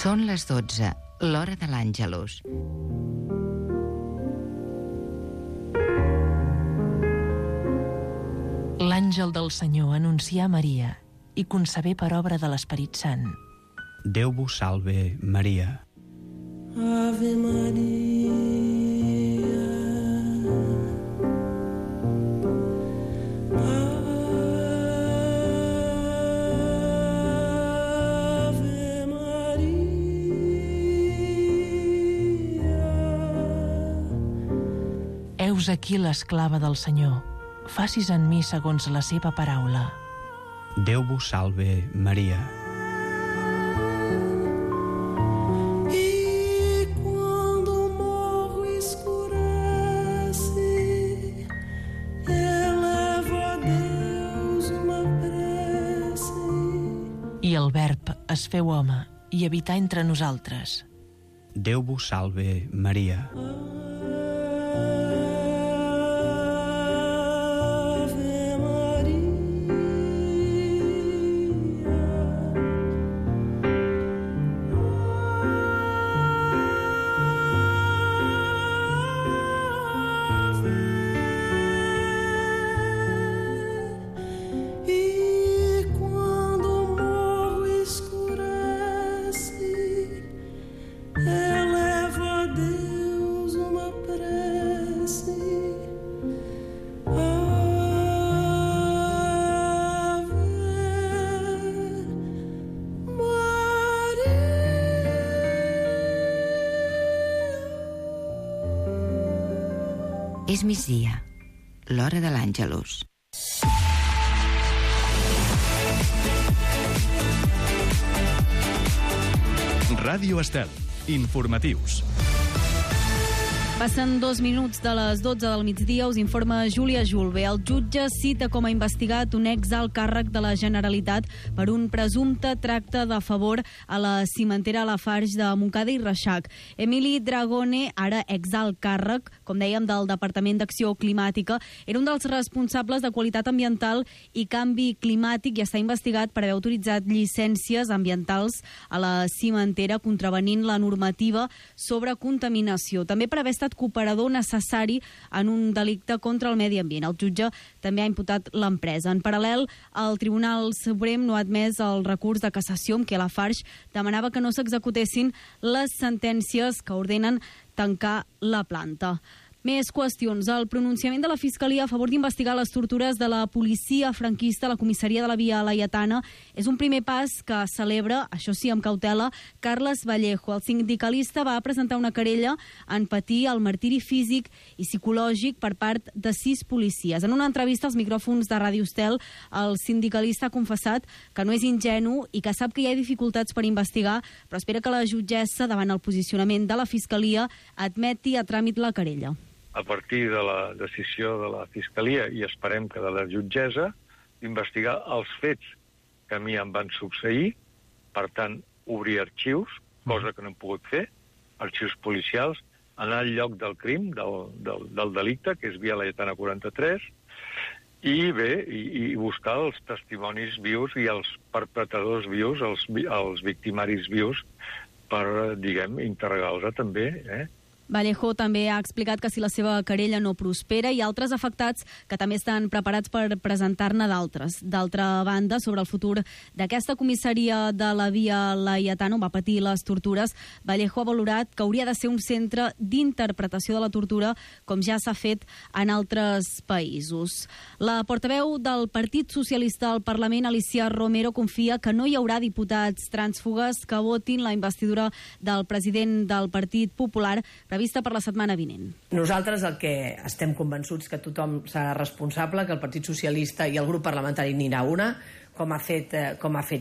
Són les 12, l'hora de l'Àngelus. L'àngel del Senyor anuncià a Maria i concebé per obra de l'Esperit Sant. Déu vos salve, Maria. Ave Maria, Ave Maria. Heus aquí l'esclava del Senyor. Facis en mi segons la seva paraula. Déu vos salve, Maria. E quando o morro escurece, elevo a Deus uma prece. I el Verb es feu home i habità entre nosaltres. Déu vos salve, Maria. És migdia, l'hora de l'Àngelus. Ràdio Estel. Informatius. Passen 2 minuts de les 12 del migdia, us informa Júlia Julve. El jutge cita com a investigat un exalt càrrec de la Generalitat per un presumpte tracte de favor a la cimentera Lafarge de Montcada i Reixac. Emili Dragone, ara exalt càrrec, com dèiem, del Departament d'Acció Climàtica, era un dels responsables de qualitat ambiental i canvi climàtic i està investigat per haver autoritzat llicències ambientals a la cimentera contravenint la normativa sobre contaminació. També per haver estat cooperador necessari en un delicte contra el medi ambient. El jutge també ha imputat l'empresa. En paral·lel, el Tribunal Suprem no ha admès el recurs de cassació amb què Lafarge demanava que no s'executessin les sentències que ordenen tancar la planta. Més qüestions. El pronunciament de la Fiscalia a favor d'investigar les tortures de la policia franquista a la comissaria de la Via Laietana és un primer pas que celebra, això sí, amb cautela, Carles Vallejo. El sindicalista va presentar una querella en patir el martiri físic i psicològic per part de 6 policies. En una entrevista als micròfons de Ràdio Estel, el sindicalista ha confessat que no és ingenu i que sap que hi ha dificultats per investigar, però espera que la jutgessa, davant el posicionament de la Fiscalia, admeti a tràmit la querella. A partir de la decisió de la Fiscalia i esperem que de la jutgessa, investigar els fets que a mi em van succeir, per tant, obrir arxius, cosa que no hem pogut fer, arxius policials, anar al lloc del crim, del delicte, que és Via Laietana 43, i bé, i buscar els testimonis vius i els perpetradors vius, els victimaris vius, per, diguem, interrogar-los també, Vallejo també ha explicat que si la seva querella no prospera, hi ha altres afectats que també estan preparats per presentar-ne d'altres. D'altra banda, sobre el futur d'aquesta comissaria de la Via Laietana, on va patir les tortures, Vallejo ha valorat que hauria de ser un centre d'interpretació de la tortura, com ja s'ha fet en altres països. La portaveu del Partit Socialista al Parlament, Alicia Romero, confia que no hi haurà diputats trànsfugues que votin la investidura del president del Partit Popular prevista per la setmana vinent. Nosaltres el que estem convençuts que tothom serà responsable, que el Partit Socialista i el grup parlamentari n'hi ha una, com ha fet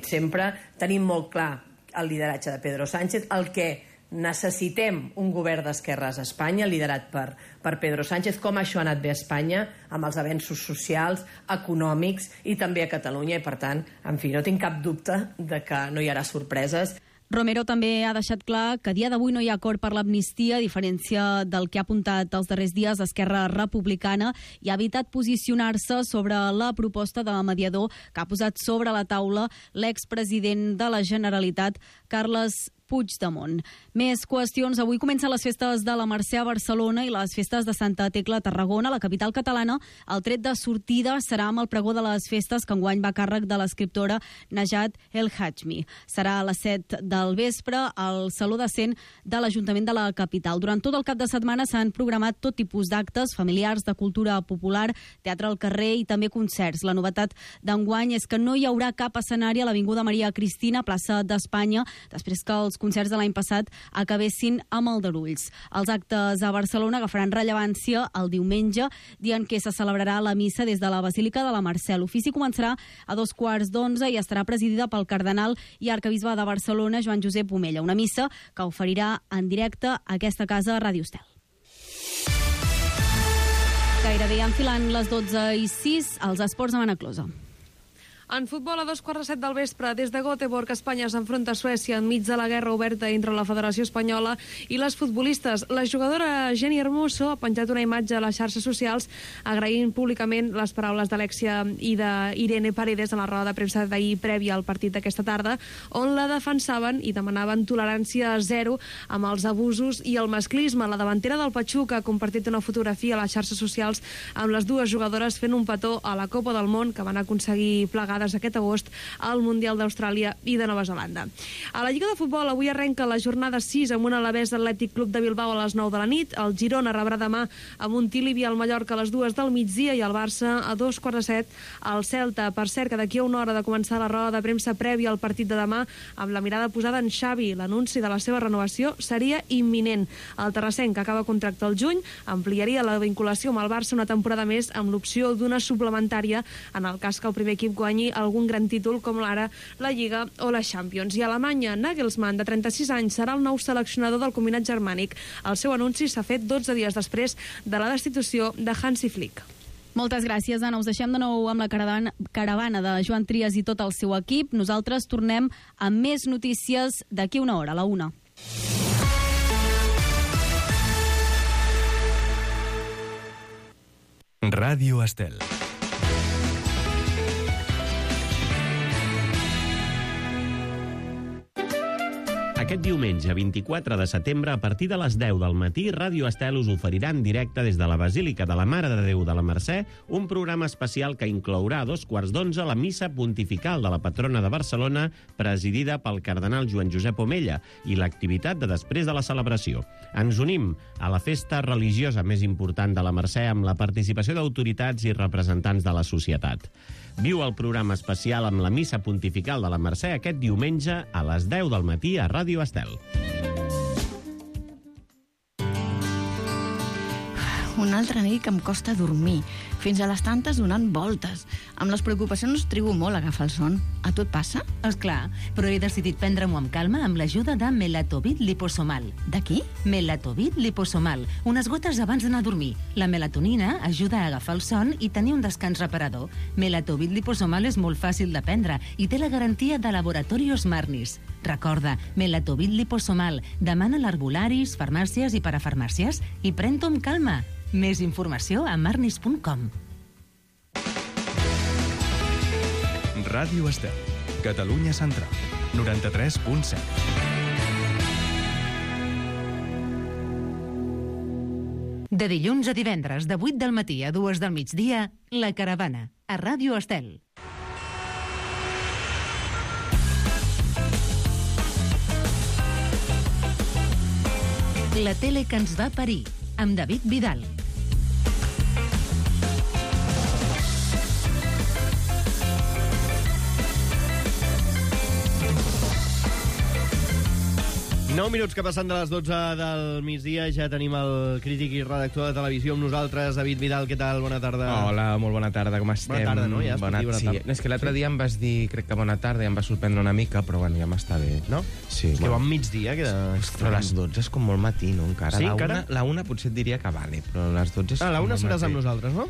sempre. Tenim molt clar el lideratge de Pedro Sánchez, el que necessitem un govern d'esquerres a Espanya liderat per Pedro Sánchez, com això ha anat bé a Espanya amb els avenços socials, econòmics i també a Catalunya, i per tant, en fi, no tinc cap dubte de que no hi haurà sorpreses. Romero també ha deixat clar que a dia d'avui no hi ha acord per l'amnistia, a diferència del que ha apuntat els darrers dies Esquerra Republicana, i ha evitat posicionar-se sobre la proposta de mediador que ha posat sobre la taula l'expresident de la Generalitat, Carles Puigdemont. Més qüestions. Avui comencen les festes de la Mercè a Barcelona i les festes de Santa Tecla a Tarragona, la capital catalana. El tret de sortida serà amb el pregó de les festes, que enguany va a càrrec de l'escriptora Najat El Hajmi. Serà a les 7 del vespre al Saló de Cent de l'Ajuntament de la capital. Durant tot el cap de setmana s'han programat tot tipus d'actes familiars, de cultura popular, teatre al carrer i també concerts. La novetat d'enguany és que no hi haurà cap escenari a l'Avinguda Maria Cristina, plaça d'Espanya, després que els concerts de l'any passat acabessin amb aldarulls. Els actes a Barcelona agafaran rellevància el diumenge, dia en què se celebrarà la missa des de la Basílica de la Mercè. L'ofici començarà a 11:15 i estarà presidida pel cardenal i arquebisbe de Barcelona, Joan Josep Omella. Una missa que oferirà en directe a aquesta casa Ràdio Estel. Gairebé enfilant les 12:06, els esports a Manaclosa. En futbol, a 2:15 del vespre, des de Göteborg, Espanya s'enfronta a Suècia enmig de la guerra oberta entre la Federació Espanyola i les futbolistes. La jugadora Jenny Hermoso ha penjat una imatge a les xarxes socials agraint públicament les paraules d'Alexia i d'Irene Paredes en la roda de premsa d'ahir prèvia al partit d'aquesta tarda, on la defensaven i demanaven tolerància zero amb els abusos i el masclisme. La davantera del Pachuca ha compartit una fotografia a les xarxes socials amb les dues jugadores fent un petó a la Copa del Món que van aconseguir plegar aquest agost al Mundial d'Austràlia i de Nova Zelanda. A la Lliga de Futbol avui arrenca la jornada 6 amb un Alavés Atlètic Club de Bilbao a les 9 de la nit. El Girona rebrà demà a Montilivi al Mallorca a les 2 del migdia i el Barça a 2:15 al Celta. Per cert, que d'aquí a una hora de començar la roda de premsa prèvia al partit de demà, amb la mirada posada en Xavi, l'anunci de la seva renovació seria imminent. El terrassenc, que acaba contracte al juny, ampliaria la vinculació amb el Barça una temporada més amb l'opció d'una suplementària en el cas que el primer equip guanyi algun gran títol com l'ara la Lliga o la Champions. I a Alemanya, Nagelsmann, de 36 anys, serà el nou seleccionador del combinat germànic. El seu anunci s'ha fet 12 dies després de la destitució de Hansi Flick. Moltes gràcies, Anna. Us deixem de nou amb la caravana de Joan Trias i tot el seu equip. Nosaltres tornem amb més notícies d'aquí una hora, a la 1. Ràdio Estel. Aquest diumenge, 24 de setembre, a partir de les 10 del matí, Ràdio Estel us oferirà en directe des de la Basílica de la Mare de Déu de la Mercè un programa especial que inclourà a 2:15 la missa pontifical de la patrona de Barcelona, presidida pel cardenal Joan Josep Omella, i l'activitat de després de la celebració. Ens unim a la festa religiosa més important de la Mercè amb la participació d'autoritats i representants de la societat. Viu el programa especial amb la missa pontifical de la Mercè aquest diumenge a les 10 del matí a Ràdio Estel. Una altra nit que em costa dormir, fins a les tantes donant voltes. Amb les preocupacions trigo molt a agafar el son. A tu et passa? Esclar, però he decidit prendre-m'ho amb calma amb l'ajuda de Melatovit Liposomal. De qui? Melatovit Liposomal, unes gotes abans d'anar a dormir. La melatonina ajuda a agafar el son i tenir un descans reparador. Melatovit Liposomal és molt fàcil de prendre i té la garantia de Laboratorios Marnis. Recorda, Melatovit Liposomal. Demana a l'herbolaris, farmàcies i parafarmàcies i pren-t'ho amb calma. Més informació a marnis.com. Ràdio Estel, Catalunya Central, 93.7. De dilluns a divendres, de 8 del matí a 2 del migdia, La Caravana, a Ràdio Estel. La tele que ens va parir, amb David Vidal. Nou minuts que passen de les 12 del migdia, ja tenim el crític i redactor de televisió amb nosaltres, David Vidal. Què tal? Bona tarda. Hola, molt bona tarda, com estem? Bona tarda, no? Ja bona tarda. És que l'altre dia em vas dir, crec que bona tarda, i em va sorprendre una mica, però bueno, ja m'està bé. No? Sí. És que bon migdia. Però les 12 és com molt matí, no? Encara. Sí, encara? La una potser et diria que vale, però les 12 és... La una seràs amb nosaltres, no?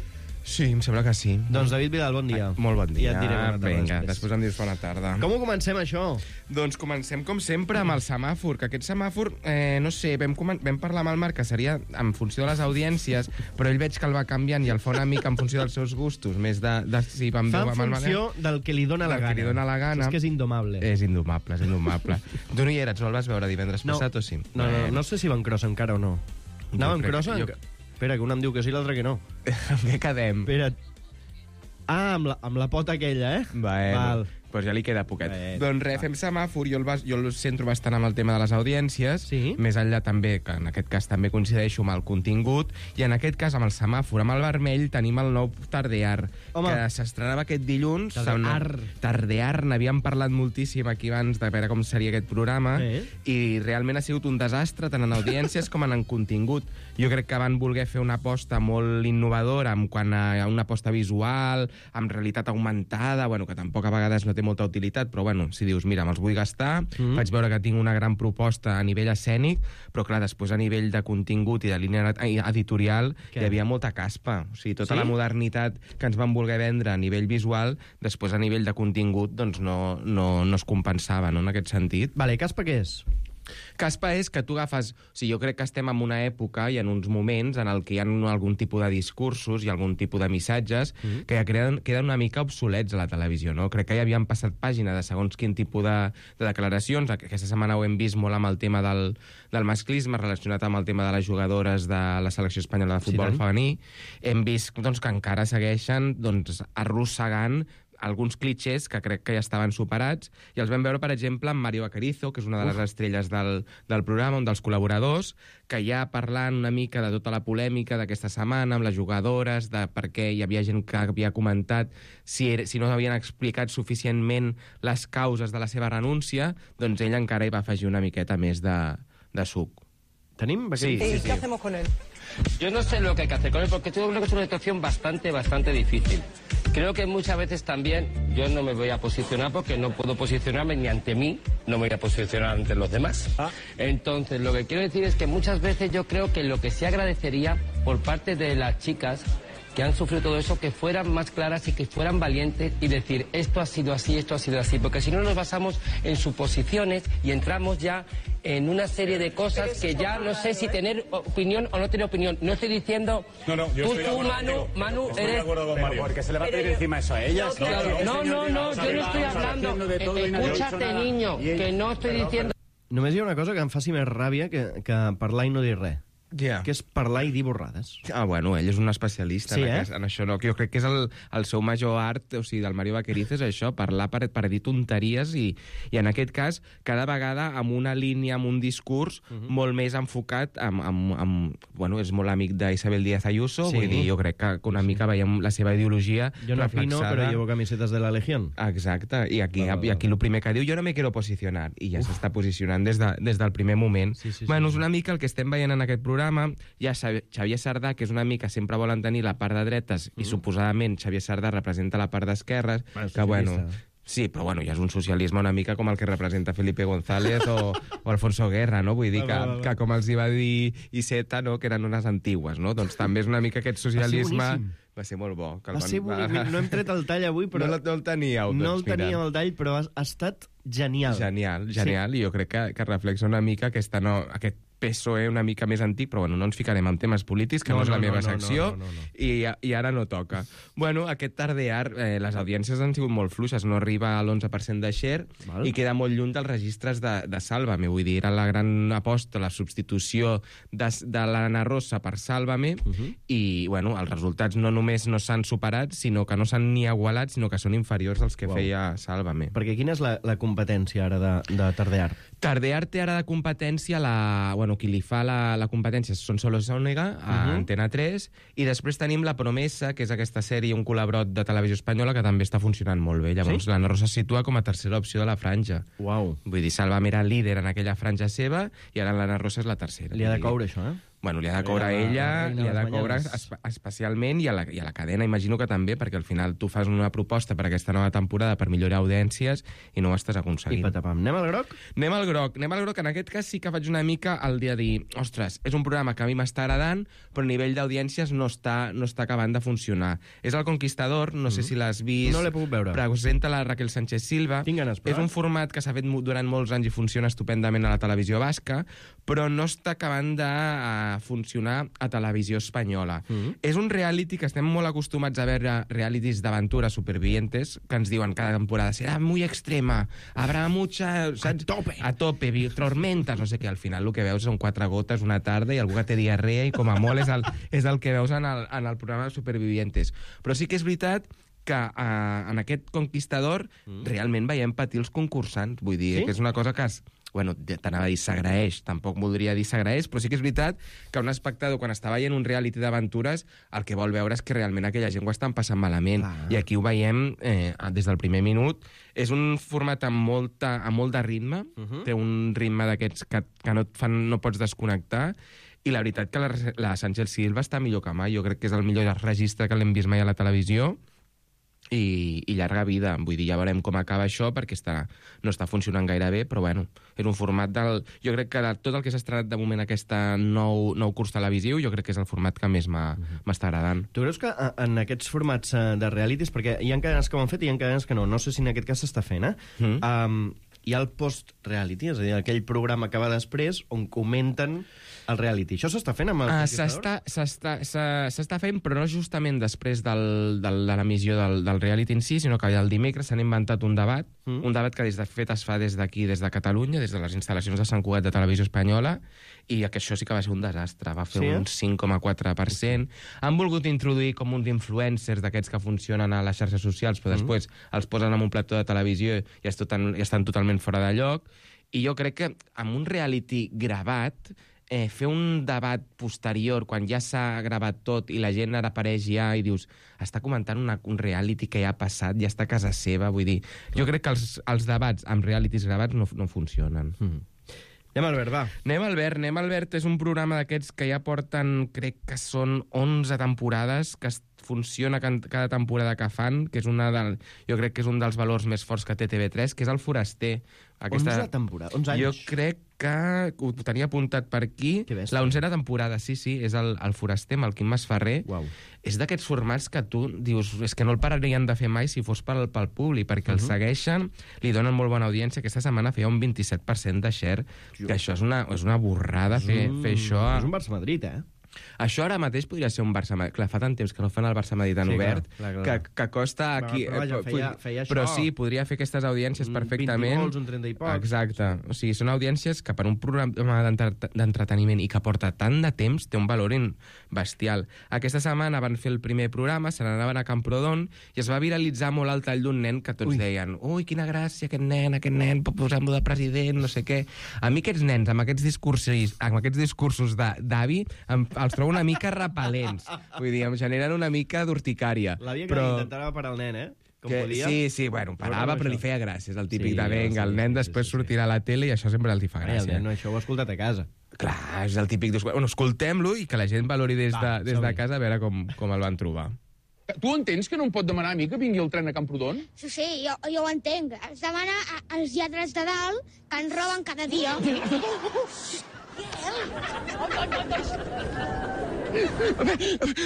Sí, em sembla que sí. Doncs David Vidal, bon dia. Molt bon dia. Ja et diré bona tarda Vinga, després em dius bona tarda. Com ho comencem, això? Doncs comencem, com sempre, amb el semàfor, que aquest semàfor, no sé, vam parlar amb el Marc que seria en funció de les audiències, però ell veig que el va canviant i el fa una mica en funció dels seus gustos, més de si vam Fa veure en amb el funció del que li dona la gana. Que li dona la gana. És que és indomable. És indomable, és indomable. Tu no hi eres, no el vas veure divendres passat o sí? No sé si van crossa encara o no. Anàvem crossa? Espera, que un em diu que sí, l'altre que no. Amb què quedem? Espera't. Ah, amb la pota aquella, eh? Val. Doncs ja li queda poquet. Doncs res, fem semàfor, jo el centro bastant amb el tema de les audiències, més enllà també, que en aquest cas també coincideixo amb el contingut, i en aquest cas amb el semàfor, amb el vermell, tenim el nou Tardear, que s'estrenava aquest dilluns. Tardear, n'havíem parlat moltíssim aquí abans de veure com seria aquest programa, i realment ha sigut un desastre, tant en audiències com en contingut. Jo crec que van voler fer una aposta molt innovadora en quant a una aposta visual, amb realitat augmentada, bueno, que tampoc a vegades no té molta utilitat, però bueno, si dius, mira, me'ls vull gastar, faig veure que tinc una gran proposta a nivell escènic, però clar, després a nivell de contingut i de línia editorial hi havia molta caspa. O sigui, tota la modernitat que ens van voler vendre a nivell visual, després a nivell de contingut doncs no es compensava, no, en aquest sentit. Vale, caspa què és? Caspa és que tu agafes... O sigui, jo crec que estem en una època i en uns moments en el que hi ha algun tipus de discursos i algun tipus de missatges que ja queden una mica obsolets a la televisió, no? Crec que ja havien passat pàgina de segons quin tipus de declaracions. Aquesta setmana ho hem vist molt amb el tema del masclisme, relacionat amb el tema de les jugadores de la selecció espanyola de futbol femení. Hem vist doncs, que encara segueixen arrossegant alguns clichés que crec que ja estaven superats, i els vam veure, per exemple, amb Mario Vaquerizo, que és una de les estrelles del programa, un dels col·laboradors, que ja parlant una mica de tota la polèmica d'aquesta setmana, amb les jugadores, de per què hi havia gent que havia comentat si no havien explicat suficientment les causes de la seva renúncia, doncs ell encara hi va afegir una miqueta més de suc. ¿Tenim? Sí. ¿Y qué hacemos con él? Yo no sé lo que hay que hacer con él, porque tengo una situación bastante difícil. Creo que muchas veces también yo no me voy a posicionar porque no puedo posicionarme ni ante mí, no me voy a posicionar ante los demás. Entonces, lo que quiero decir es que muchas veces yo creo que lo que se agradecería por parte de las chicas que han sufrido todo eso, que fueran más claras y que fueran valientes y decir esto ha sido así, porque si no nos basamos en suposiciones y entramos ya en una serie de cosas que ya no sé si tener opinión o no tener opinión. No estoy diciendo tú, Manu, eres... de acuerdo con Mario. Porque se le va a pedir encima eso a ellas. No, yo no estoy hablando. Escúchate, niño, que no estoy diciendo... Només hi ha una cosa que em faci més ràbia que parlar i no dir res. Yeah. Que és parlar i dir borrades. Bueno, ell és un especialista en això. No? Jo crec que és el seu major art, o sigui, del Mario Vaquerizo, és això, parlar per dir tonteries i en aquest cas, cada vegada amb una línia, amb un discurs molt més enfocat bueno, és molt amic d'Isabel Díaz Ayuso, vull dir, jo crec que una mica veiem la seva ideologia jo no opino, però llevo camisetes de la Legión. Exacte, i aquí el primer que diu, jo no me quiero posicionar, i ja s'està posicionant des del primer moment. Bueno, és una mica el que estem veient en aquest programa. Hi ha Xavier Sardà, que és una mica, sempre volen tenir la part de dretes, i suposadament Xavier Sardà representa la part d'esquerres, que bueno... Sí, però bueno, ja és un socialisme una mica com el que representa Felipe González o Alfonso Guerra, no? Vull dir que com els hi va dir Iceta, no? Que eren unes antigues, no? Doncs també és una mica aquest socialisme... Va ser molt bo. Va ser boníssim. No hem tret el tall avui, però... No el teníeu, doncs, no el teníem el tall, però ha estat genial. Genial, i jo crec que reflexa una mica aquest PSOE una mica més antic, però bueno, no ens ficarem en temes polítics, que no és la meva secció, i ara no toca. Bueno, aquest Tardear, les audiències han sigut molt fluixes, no arriba a l'11% de share, i queda molt lluny dels registres de Sálvame, vull dir, era la gran aposta, la substitució de l'Anna Rosa per Sálvame, i bueno, els resultats no només no s'han superat, sinó que no s'han ni igualat, sinó que són inferiors als que feia Sálvame. Perquè quina és la competència ara de Tardear? Tardear té ara de competència qui li fa la competència són Solo Sónega, a Antena 3, i després tenim La Promesa, que és aquesta sèrie, un col·laborat de Televisió Espanyola, que també està funcionant molt bé. Llavors, l'Anna Rosa es situa com a tercera opció de la franja. Uau. Vull dir, Sálvame era líder en aquella franja seva, i ara l'Anna Rosa és la tercera. Li ha de coure, això, Bueno, li ha de cobrar a ella, reina li ha de de les cobrar Mañanes. especialment i a la cadena imagino que també, perquè al final tu fas una proposta per aquesta nova temporada per millorar audiències i no ho estàs aconseguint. I patapam. Anem al groc? Anem al groc. En aquest cas sí que faig una mica el dia de dir, ostres, és un programa que a mi m'està agradant, però a nivell d'audiències no està acabant de funcionar. És El Conquistador, no sé si l'has vist. No l'he pogut veure. Presenta la Raquel Sánchez Silva. Tinc ganes, però. És un format que s'ha fet durant molts anys i funciona estupendament a la televisió basca, però no està acabant de funcionar a televisió espanyola. És un reality que estem molt acostumats a veure, realities d'aventura supervivientes, que ens diuen cada temporada serà muy extrema, habrá mucha... Saps? A tope, tormentas, no sé què. Al final el que veus són 4 gotes una tarda i algú que té diarrea i com a molt és el que veus en el programa de supervivientes. Però sí que és veritat que en aquest Conquistador realment veiem patir els concursants. Vull dir, que és una cosa que bueno, t'anava a dir s'agraeix, tampoc voldria dir s'agraeix, però sí que és veritat que un espectador, quan està veient un reality d'aventures, el que vol veure és que realment aquella gent ho estan passant malament. I aquí ho veiem des del primer minut. És un format amb molt de ritme, té un ritme d'aquests que no pots desconnectar, i la veritat que la Sánchez Silva està millor que mai. Jo crec que és el millor registre que l'hem vist mai a la televisió, i llarga vida. Vull dir, ja veurem com acaba això, perquè no està funcionant gaire bé, però bueno, és un format jo crec que de tot el que s'ha estrenat de moment aquest nou curs televisiu, jo crec que és el format que més m'està agradant. Tu creus que en aquests formats de realities, perquè hi ha cadenes que ho han fet i hi ha cadenes que no sé si en aquest cas s'està fent, hi ha el post-reality, és a dir, aquell programa que va després on comenten el reality. Això s'està fent amb el Conquistador? S'està fent, però no justament després de l'emissió del reality en si, sinó que el dimecres s'han inventat un debat que de fet es fa des d'aquí, des de Catalunya, des de les instal·lacions de Sant Cugat de Televisió Espanyola, i que això sí que va ser un desastre. Va fer un 5,4%. Han volgut introduir com uns influencers d'aquests que funcionen a les xarxes socials, però després els posen en un plató de televisió i estan totalment fora de lloc. I jo crec que amb un reality gravat, fer un debat posterior, quan ja s'ha gravat tot i la gent ara apareix ja i dius, està comentant un reality que ja ha passat, ja està a casa seva, vull dir, jo crec que els debats amb realities gravats no funcionen. Anem al Albert, va. Anem al Albert, és un programa d'aquests que ja porten, crec que són 11 temporades, que funciona cada temporada que fan, que és jo crec que és un dels valors més forts que té TV3, que és El Foraster. 11 temporades, 11 anys. Jo crec que ho tenia apuntat per aquí. La 11a temporada, sí, és el Foraster, amb el Quim Masferrer. És d'aquests formats que tu dius, és que no el pararien de fer mai si fos pel públic, perquè el segueixen, li donen molt bona audiència. Aquesta setmana feia un 27% de share, que això és una borrada fer això. És un Barça-Madrid, Això ara mateix podria ser un Barça-Madrid. Clar, fa tant temps que no fan el Barça-Madrid en obert, que costa aquí... Feia però sí, podria fer aquestes audiències perfectament. 20 gols, un 30 i pocs. Exacte. O sigui, són audiències que per un programa d'entreteniment i que porta tant de temps té un valor bestial. Aquesta setmana van fer el primer programa, se n'anaven a Camprodon i es va viralitzar molt el tall d'un nen que tots deien ui, quina gràcia, aquest nen, posem-lo de president, no sé què. A mi aquests nens, amb aquests discursos d'avi, els trobo una mica repel·lents. Vull dir, em generen una mica d'urticària. L'havia que intentava parar el nen, Com podia. Sí, bueno, parava, però li feia gràcia. És el típic de venga, el nen després sortirà a la tele i això sempre els fa gràcia. El nen, això ho ha escoltat a casa. Clar, és el típic... Bueno, escoltem-lo i que la gent valori des de casa a veure com el van trobar. Tu entens que no em pot demanar a mi que vingui el tren a Camprodon? Sí, jo ho entenc. Es demana als lladres de dalt que ens roben cada dia.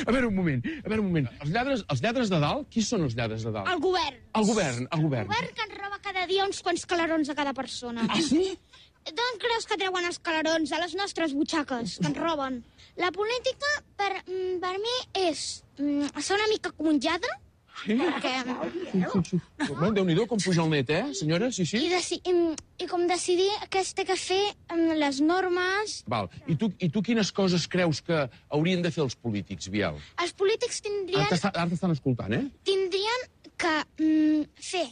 A veure un moment. Els lladres de dalt? Qui són els lladres de dalt? El govern. El govern. El govern que ens roba cada dia uns quants calarons a cada persona. Ah, sí? D'on creus que treuen els calarons? A les nostres butxaques, que ens roben. La política, per mi, és ser una mica com un lladre. Sí? Déu-n'hi-do, com puja el net, senyora? Sí. I com decidir què es té que fer amb les normes... Val. I tu quines coses creus que haurien de fer els polítics, Biel? Els polítics tindrien... Ara t'estan escoltant, Tindrien que fer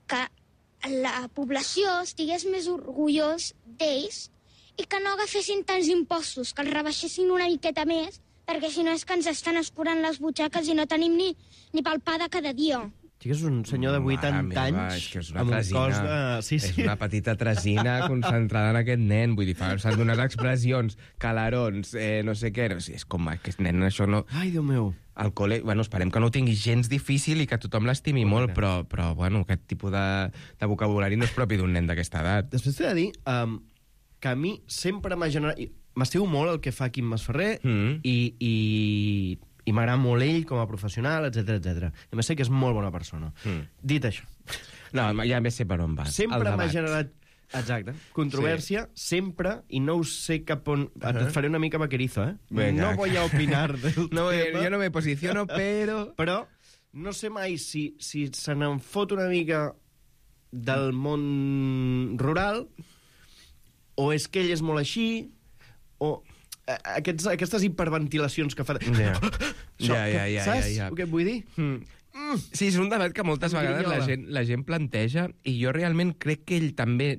que la població estigués més orgullós d'ells i que no agafessin tants impostos, que els rebaixessin una miqueta més, perquè si no és que ens estan escurant les butxaques i no tenim ni pel pa de cada dia. Sí que és un senyor de 80 anys és una amb un tresina, cos de... Sí, és una petita tresina concentrada en aquest nen. Vull dir, s'han donat expressions, calarons, no sé què. No, és com, aquest nen, això no... Ai, Déu meu. Al col·le, bueno, esperem que no ho tingui gens difícil i que tothom l'estimi molt, però bueno, aquest tipus de vocabulari no és propi d'un nen d'aquesta edat. Després t'he de dir que a mi sempre m'ha generat... M'estimo molt el que fa Quim Masferrer i m'agrada molt ell com a professional, etc. A més sé que és molt bona persona. Dit això. No, ja bé sé per on vas. Sempre m'ha generat... Exacte. Controvèrsia, sempre, i no ho sé cap on... Et faré una mica vaquerizo, Venga. No voy a opinar del no, tema. Jo no me posiciono, però... Però no sé mai si se n'en fot una mica del món rural, o és que ell és molt així, o... Aquestes hiperventilacions que fa... Saps què et vull dir? Sí, és un debat que moltes vegades la gent planteja, i jo realment crec que ell també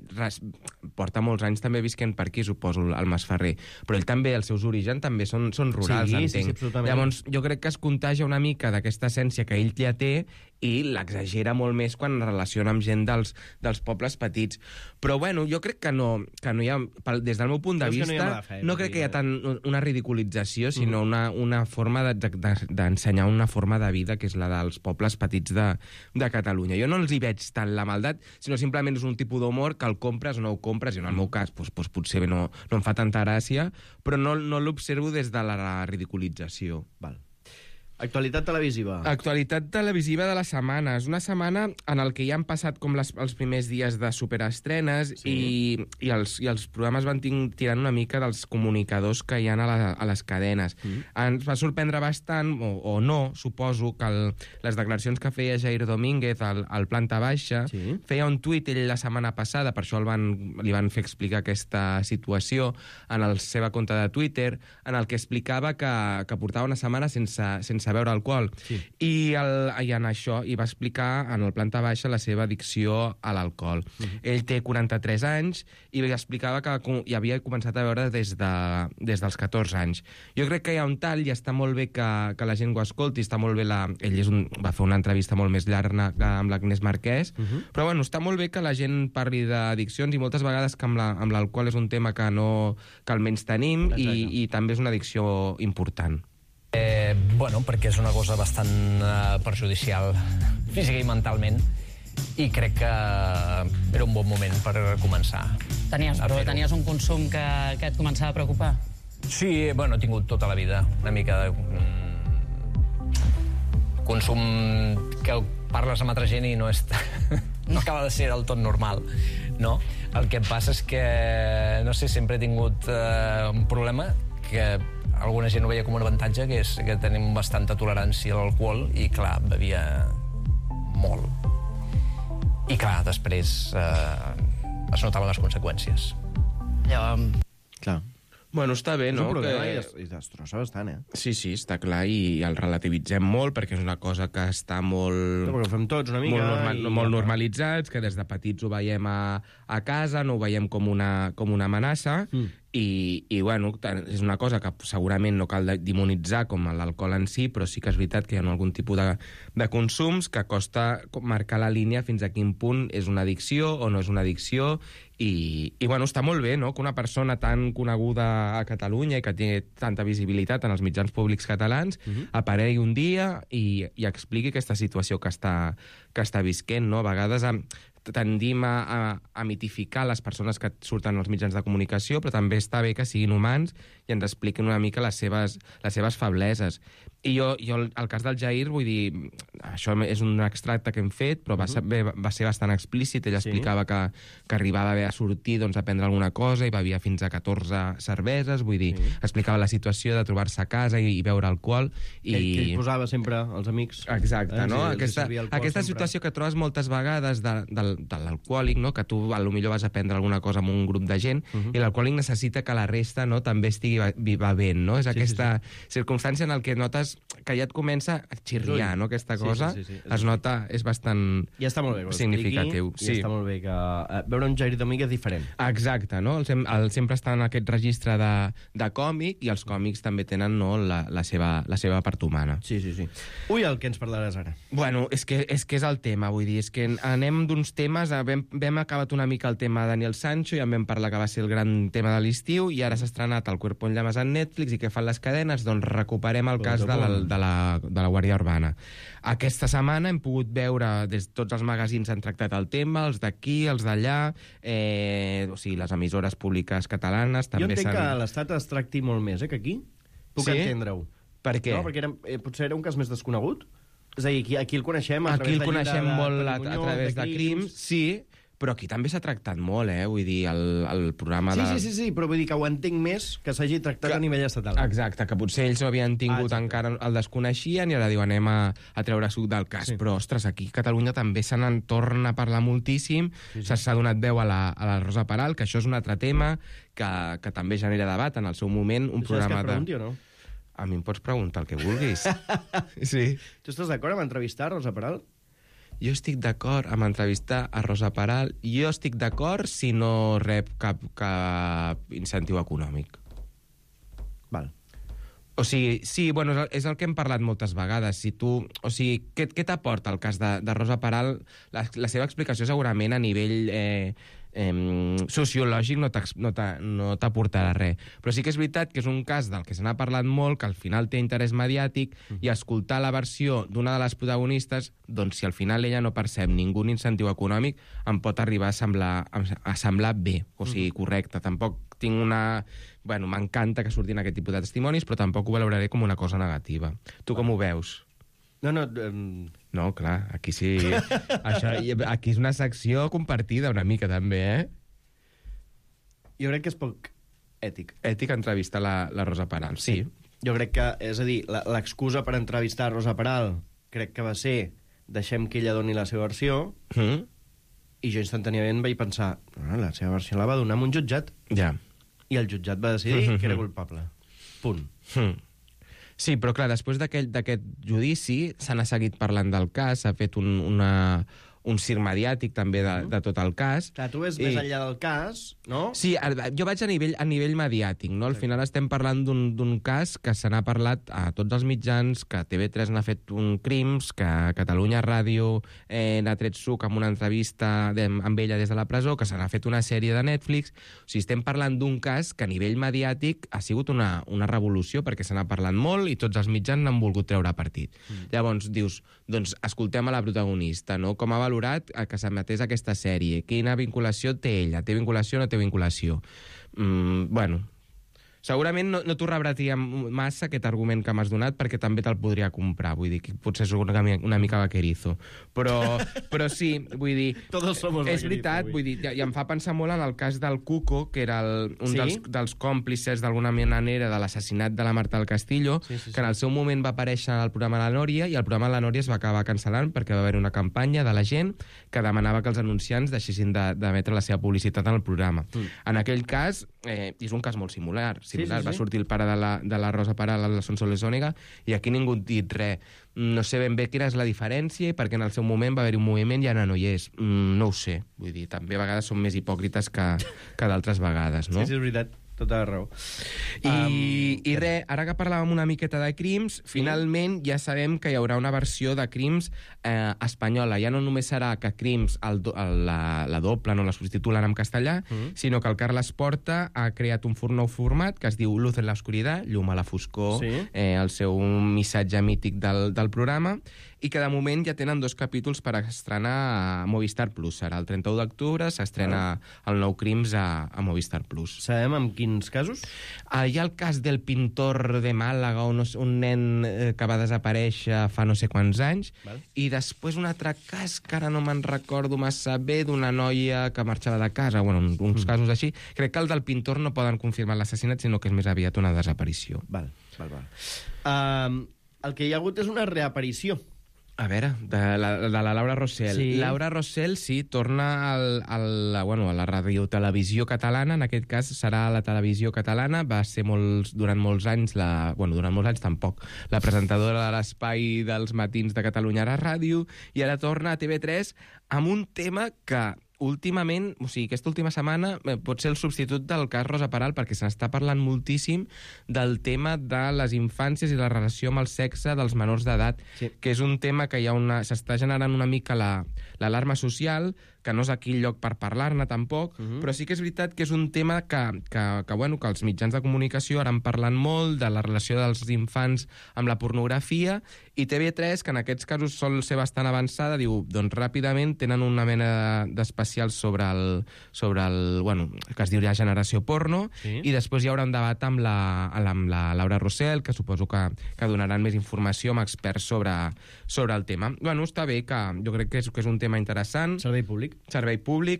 porta molts anys també visquent per aquí, suposo, el Masferrer, però ell també, els seus orígens també són rurals, entenc. Sí, absolutament. Llavors, jo crec que es contagia una mica d'aquesta essència que ell ja té i l'exagera molt més quan es relaciona amb gent dels pobles petits. Però, bueno, jo crec que no hi ha... Des del meu punt de vista, no crec que hi ha tant una ridiculització, sinó una forma d'ensenyar una forma de vida que és la dels pobles petits de Catalunya. Jo no els hi veig tant la maldat, sinó simplement és un tipus d'humor que el compres o no ho compres, i en el meu cas potser no em fa tanta gràcia, però no l'observo des de la ridiculització. Val. Actualitat televisiva. Actualitat televisiva de la setmana. És una setmana en el que ja han passat com els primers dies de superestrenes, i els programes van tirant una mica dels comunicadors que hi ha a les cadenes. Ens va sorprendre bastant, o no, suposo, que les declaracions que feia Jair Domínguez al Planta Baixa, feia un tuit ell la setmana passada, per això li van fer explicar aquesta situació en la seva compte de Twitter, en el que explicava que portava una setmana sense beure alcohol. I en això va explicar en el Planta Baixa la seva addicció a l'alcohol. Ell té 43 anys i explicava que hi havia començat a beure des dels 14 anys. Jo crec que hi ha un tall i està molt bé que la gent ho escolti, està molt bé ell va fer una entrevista molt més llarga amb l'Agnès Marquès, però bueno, està molt bé que la gent parli d'addiccions, i moltes vegades que amb l'alcohol és un tema que almenys tenim, i també és una addicció important. Bueno, perquè és una cosa bastant perjudicial física i mentalment, i crec que era un bon moment per començar. Tenies un consum que et començava a preocupar? Sí, bueno, he tingut tota la vida una mica de consum que parles amb altra gent i no acaba de ser del tot normal, no? El que passa és que, no sé, sempre he tingut un problema que alguna gent ho veia com un avantatge, que és que tenim bastanta tolerància a l'alcohol, i clar, bevia molt. I clar, després es notaven les conseqüències. Clar. Bueno, està bé, no? És un problema i destrossa bastant, Sí, està clar, i el relativitzem molt, perquè és una cosa que està molt... Perquè ho fem tots una mica. Molt normalitzats, que des de petits ho veiem a casa, no ho veiem com una amenaça, i bueno, és una cosa que segurament no cal demonitzar com l'alcohol en si, però sí que és veritat que hi ha algun tipus de consums que costa marcar la línia fins a quin punt és una addicció o no és una addicció, i bueno, està molt bé, no?, que una persona tan coneguda a Catalunya i que té tanta visibilitat en els mitjans públics catalans aparegui un dia i expliqui aquesta situació que està visquent, no? A vegades tendim a mitificar les persones que surten als mitjans de comunicació, però també està bé que siguin humans i ens expliquin una mica les seves febleses. I jo, el cas del Jair, vull dir, això és un extracte que hem fet, però va ser bastant explícit. Ell explicava que arribava a haver a sortir a prendre alguna cosa i bevia fins a 14 cerveses, vull dir, explicava la situació de trobar-se a casa i beure alcohol. Que ell posava sempre els amics. Exacte, no? Aquesta situació que trobes moltes vegades de l'alcohòlic, no? Que tu potser vas a prendre alguna cosa amb un grup de gent, i l'alcohòlic necessita que la resta també estigui bevent, no? És aquesta circumstància en què notes notes que ja et comença a xirriar, no?, aquesta cosa. Sí. Es nota, és bastant Ja està molt bé que ho significatiu. expliqui, ja està molt bé que veure un Jair Domínguez diferent. Exacte, no? El sempre està en aquest registre de còmic, i els còmics també tenen, no, la seva part humana. Sí. Ui, el que ens parlaràs ara. Bueno, és que és el tema, vull dir, és que anem d'uns temes, vam acabat una mica el tema de Daniel Sancho, ja en vam parlar que va ser el gran tema de l'estiu, i ara s'ha estrenat El cuerpo en llamas en Netflix, i què fan les cadenes? Doncs recuperem el cas de la Guàrdia Urbana. Aquesta setmana hem pogut veure, des de tots els magazins han tractat el tema, els d'aquí, els d'allà, o sigui, les emissores públiques catalanes també jo entenc que a l'Estat es tracti molt més, que aquí. Puc entendre-ho. Per què? No, perquè potser era un cas més desconegut. És a dir, aquí el coneixem a aquí través el coneixem molt a través de crims, sí, però aquí també s'ha tractat molt, vull dir, el programa de... Sí, però vull dir que ho entenc més que s'hagi tractat a nivell estatal. Exacte, que potser ells ho havien tingut encara, el desconeixien, i ara diu, anem a treure suc del cas. Però, ostres, aquí a Catalunya també se n'en torna a parlar moltíssim, s'ha donat veu a la Rosa Peral, que això és un altre tema que també genera debat en el seu moment, un programa que pregunti o no? A mi em pots preguntar el que vulguis. Sí. Tu estàs d'acord amb entrevistar Rosa Peral? Jo estic d'acord amb entrevistar a Rosa Peral. Jo estic d'acord si no rep cap incentiu econòmic. Val. O sigui, sí, bueno, és el que hem parlat moltes vegades. Si tu, o sigui, què t'aporta el cas de Rosa Peral? La seva explicació segurament a nivell sociològic no t'aportarà res. Però sí que és veritat que és un cas del que se n'ha parlat molt, que al final té interès mediàtic, i escoltar la versió d'una de les protagonistes, doncs si al final ella no percep ningú incentiu econòmic, em pot arribar a semblar bé, o sigui, correcte. Tampoc tinc una... Bueno, m'encanta que surtin aquest tipus de testimonis, però tampoc ho valoraré com una cosa negativa. Tu com ho veus? No, clar, aquí sí... aquí és una secció compartida una mica, també, Jo crec que és poc ètic. Ètic entrevistar la Rosa Peral, sí. Jo crec que, és a dir, l'excusa per entrevistar Rosa Peral crec que va ser deixem que ella doni la seva versió, i jo instantàniament vaig pensar la seva versió la va donar en un jutjat. Ja. I el jutjat va decidir que era culpable. Punt. Sí, però clar, després d'aquest judici se n'ha seguit parlant del cas, s'ha fet un circ mediàtic també de tot el cas. Clar, tu ves més enllà del cas, no? Sí, jo vaig a nivell mediàtic, no? Al final estem parlant d'un cas que se n'ha parlat a tots els mitjans, que TV3 n'ha fet un Crims, que Catalunya Ràdio n'ha tret suc amb una entrevista amb ella des de la presó, que se n'ha fet una sèrie de Netflix. O sigui, estem parlant d'un cas que a nivell mediàtic ha sigut una revolució, perquè se n'ha parlat molt i tots els mitjans n'han volgut treure partit. Llavors dius, doncs escoltem a la protagonista, no? Com ha valorat que s'emetés aquesta sèrie? Quina vinculació té ella? Té vinculació o no té vinculació? Bueno, segurament no t'ho rebratia massa aquest argument que m'has donat, perquè també te'l podria comprar, vull dir que potser és una mica vaquerizo, però sí, vull dir, és veritat, vull dir, i em fa pensar molt en el cas del Cuco, que era un dels còmplices d'alguna manera de l'assassinat de la Marta del Castillo, que en el seu moment va aparèixer al programa La Nòria, i el programa La Nòria es va acabar cancel·lant perquè va haver una campanya de la gent que demanava que els anunciants deixessin d'emetre la seva publicitat en el programa. En aquell cas, és un cas molt similar, va sortir el pare de la Rosa Peral, la Sonsoles Ònega, i aquí ningú ha dit res. No sé ben bé quina és la diferència, perquè en el seu moment va haver-hi un moviment i ara no hi és. No ho sé. Vull dir, també a vegades són més hipòcrites que d'altres vegades, no? Sí, és veritat. Tota la raó. I res, ara que parlàvem una miqueta de Crims, finalment ja sabem que hi haurà una versió de Crims espanyola. Ja no només serà que Crims la doblen o la substitulen en castellà, sinó que el Carles Porta ha creat un nou format que es diu Luz en la oscuridad, llum a la foscor, el seu missatge mític del programa, i que de moment ja tenen 2 capítols per estrenar a Movistar Plus. Serà el 31 d'octubre, s'estrena el nou Crims a Movistar Plus. Sabem amb quins casos? Hi ha el cas del pintor de Màlaga, un nen que va desaparèixer fa no sé quants anys, i després un altre cas que ara no me'n recordo massa bé, d'una noia que marxava de casa, bueno, uns casos així. Crec que el del pintor no poden confirmar l'assassinat, sinó que és més aviat una desaparició. El que hi ha hagut és una reaparició. A veure, de la Laura Rossell. Sí. Laura Rossell, sí, torna a la radiotelevisió catalana, en aquest cas serà la televisió catalana, va ser durant molts anys, durant molts anys tampoc, la presentadora de l'espai dels matins de Catalunya a la ràdio, i ara torna a TV3 amb un tema que últimament, o sigui, aquesta última setmana pot ser el substitut del cas Rosa Peral, perquè se n'està parlant moltíssim del tema de les infàncies i la relació amb el sexe dels menors d'edat, que és un tema que s'està generant una mica l'alarma social, que no és aquí el lloc per parlar-ne tampoc, però sí que és veritat que és un tema que els mitjans de comunicació ara en parlen molt, de la relació dels infants amb la pornografia, i TV3, que en aquests casos sol ser bastant avançada, diu, doncs ràpidament tenen una mena d'especial sobre el que es diu ja Generació Porno, i després hi haurà un debat amb la Laura Rossell, que suposo que donaran més informació amb experts sobre el tema. Bueno, està bé, que jo crec que és un tema interessant. Servei públic,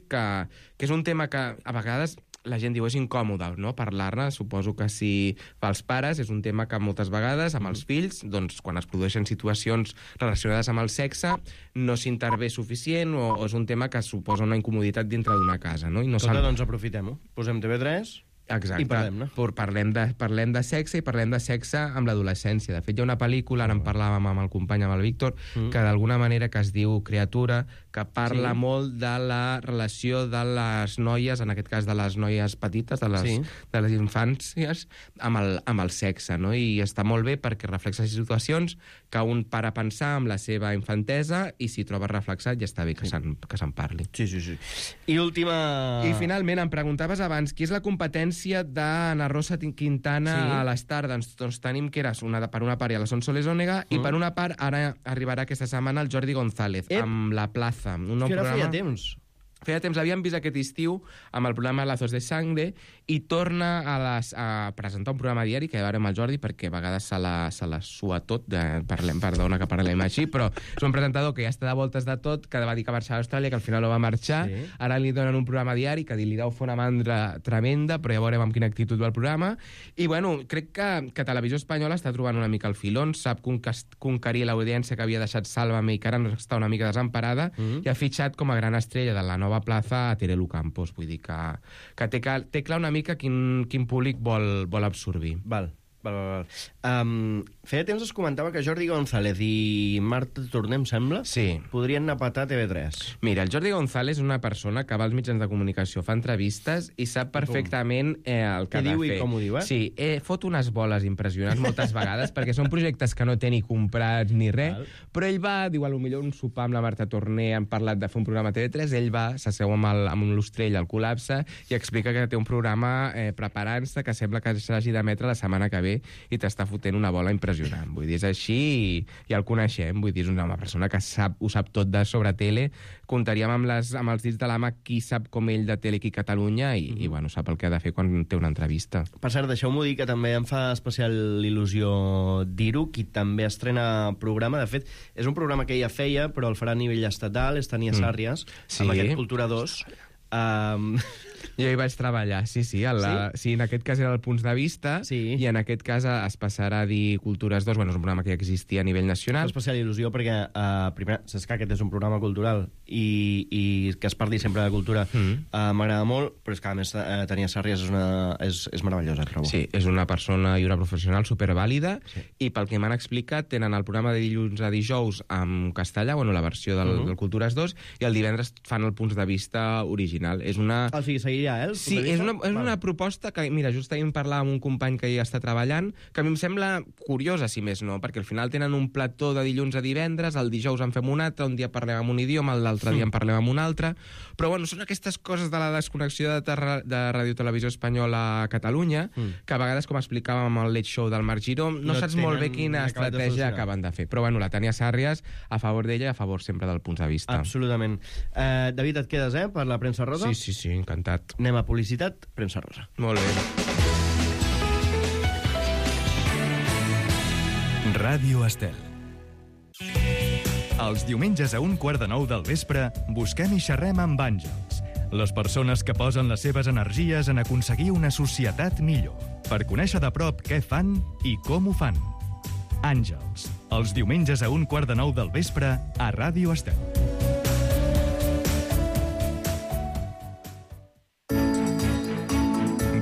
que és un tema que a vegades la gent diu és incòmode, no?, parlar-ne. Suposo que si pels pares és un tema que moltes vegades amb els fills, doncs quan es produeixen situacions relacionades amb el sexe no s'intervé suficient o és un tema que suposa una incomoditat dintre d'una casa, no? Doncs aprofitem-ho. Posem TV3... Exacte. I parlem-ne. Parlem de sexe i parlem de sexe amb l'adolescència. De fet, hi ha una pel·lícula, ara en parlàvem amb el company, amb el Víctor, que d'alguna manera que es diu Criatura, que parla molt de la relació de les noies, en aquest cas de les noies petites, de les infàncies, amb el sexe, no? I està molt bé perquè reflexa situacions que un para a pensar amb la seva infantesa i si troba reflexat ja està bé que se'n parli. Sí. I última... I finalment, em preguntaves abans, qui és la competència d'Anna Rosa Quintana a l'Star? Doncs tenim que era per una part a la Sonsoles Ònega i per una part ara arribarà aquesta setmana el Jordi González amb La Plaza, un nou programa. Feia temps. Feia temps, l'havíem vist aquest estiu amb el programa Lazos de Sangre i torna a presentar un programa diari que ja veurem el Jordi perquè a vegades se la sua tot, perdona que parlem així, però és un presentador que ja està de voltes de tot, que va dir que marxava a Austràlia, que al final no va marxar, ara li donen un programa diari que li deu fer una mandra tremenda, però ja veurem amb quina actitud va el programa, i bueno, crec que Televisió Espanyola està trobant una mica el filón, sap conquerir l'audiència que havia deixat Sálvame i que ara està una mica desemparada, i ha fitxat com a gran estrella de la nova plaça a Terelu Campos, vull dir que té clar una mica quin públic vol absorbir. Val. Feia temps es comentava que Jordi González i Marta Torner, em sembla, podrien anar a patar TV3. Mira, el Jordi González és una persona que va als mitjans de comunicació, fa entrevistes i sap perfectament el que ha de fer. Què diu i com ho diu, Sí, fot unes boles impressionants moltes vegades perquè són projectes que no té ni comprats ni res, però ell va, diu, potser un sopar amb la Marta Torner, han parlat de fer un programa a TV3, ell va, s'asseu amb l'Ostrell al Col·lapse i explica que té un programa preparant-se que sembla que s'hagi d'emetre la setmana que ve i t'està fotent una bola impressionant. Vull dir, és així i el coneixem. Vull dir, és una persona que ho sap tot sobre tele. Comptaríem amb els dits de la mà qui sap com ell de tele aquí a Catalunya i bueno, sap el que ha de fer quan té una entrevista. Per cert, deixeu-m'ho dir que també em fa especial il·lusió dir-ho, qui també estrena programa. De fet, és un programa que ella feia, però el farà a nivell estatal, és Tania Sàrries, amb aquest Cultura 2. Jo hi vaig treballar, sí, en aquest cas era el Punts de Vista i en aquest cas es passarà a dir Cultures 2, bueno, és un programa que ja existia a nivell nacional. És especial il·lusió perquè, primer, saps que aquest és un programa cultural i que es parli sempre de cultura m'agrada molt, però és que a més Tania Sàrries és meravellosa, trobo. Sí, és una persona i una professional supervàlida i pel que m'han explicat tenen el programa de dilluns a dijous en castellà, bueno, la versió del Cultures 2, i el divendres fan el Punts de Vista original. És una... O sigui, seguiria, Sí, és una proposta que, mira, just ahir em parlava amb un company que hi està treballant, que a mi em sembla curiosa, si més no, perquè al final tenen un plató de dilluns a divendres, el dijous en fem un altre, un dia parlem amb un idioma, l'altre dia en parlem amb un altre, però bueno, són aquestes coses de la desconnexió de Ràdio Televisió Espanyola a Catalunya, que a vegades, com explicàvem amb el Late Show del Marc Giró, no saps molt bé quina estratègia acaben de fer. Però bueno, la Tania Sàrries, a favor d'ella i a favor sempre del Punts de Vista. Absolutament. David, et quedes, per la premsa rosa? Sí, encantat. Anem a publicitat, premsa rosa. Molt bé. Ràdio Estel. Els diumenges a 8:15 del vespre busquem i xerrem amb àngels, les persones que posen les seves energies en aconseguir una societat millor, per conèixer de prop què fan i com ho fan. Àngels, els diumenges a 8:45 del vespre a Ràdio Estel.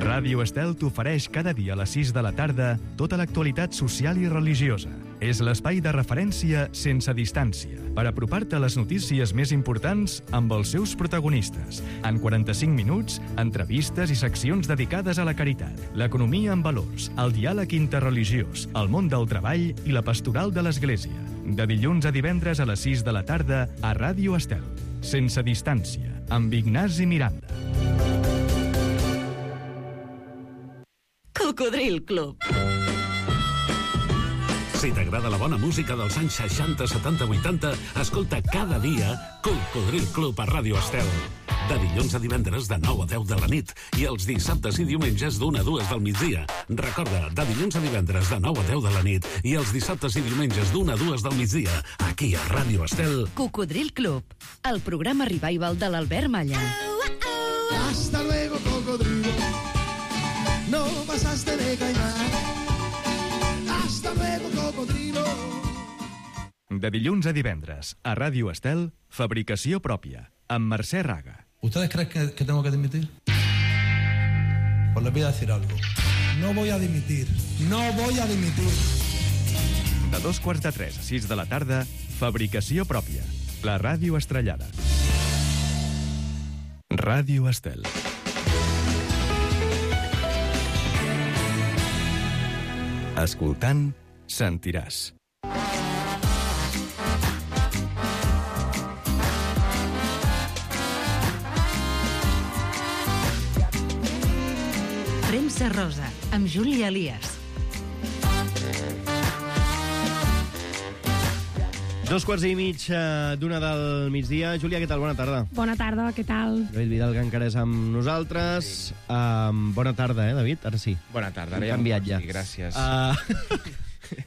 Ràdio Estel t'ofereix cada dia a les 6 de la tarda tota l'actualitat social i religiosa. És l'espai de referència sense distància per apropar-te a les notícies més importants amb els seus protagonistes. En 45 minuts, entrevistes i seccions dedicades a la caritat, l'economia en valors, el diàleg interreligiós, el món del treball i la pastoral de l'Església. De dilluns a divendres a les 6 de la tarda a Ràdio Estel. Sense distància, amb Ignasi Miranda. Cocodril Club. Si t'agrada la bona música dels anys 60, 70, 80, escolta cada dia Cocodril Club a Ràdio Estel. De dilluns a divendres de 9 a 10 de la nit i els dissabtes i diumenges d'1 a 2 del migdia. Recorda, de dilluns a divendres de 9 a 10 de la nit i els dissabtes i diumenges d'1 a 2 del migdia, aquí a Ràdio Estel. Cocodril Club, el programa revival de l'Albert Malla. Hasta luego, cocodrilo. No pasaste de caimán. Hasta luego, cocodrilo. De dilluns a divendres a Ràdio Estel, Fabricació pròpia, amb Mercè Raga. ¿Ustedes creen que tengo que dimitir? Pues les voy a decir algo. No voy a dimitir. No voy a dimitir. De 2:45 a 6 de la tarda, Fabricació pròpia, la ràdio estrellada. Ràdio Estel. Escoltant, sentiràs. Premsa Rosa, amb Júlia Elias. 2:15 d'una del migdia. Júlia, què tal? Bona tarda. Bona tarda, què tal? David Vidal, que encara és amb nosaltres. Bona tarda, David? Ara sí. Bona tarda, Hem canviat ja. Sí, gràcies.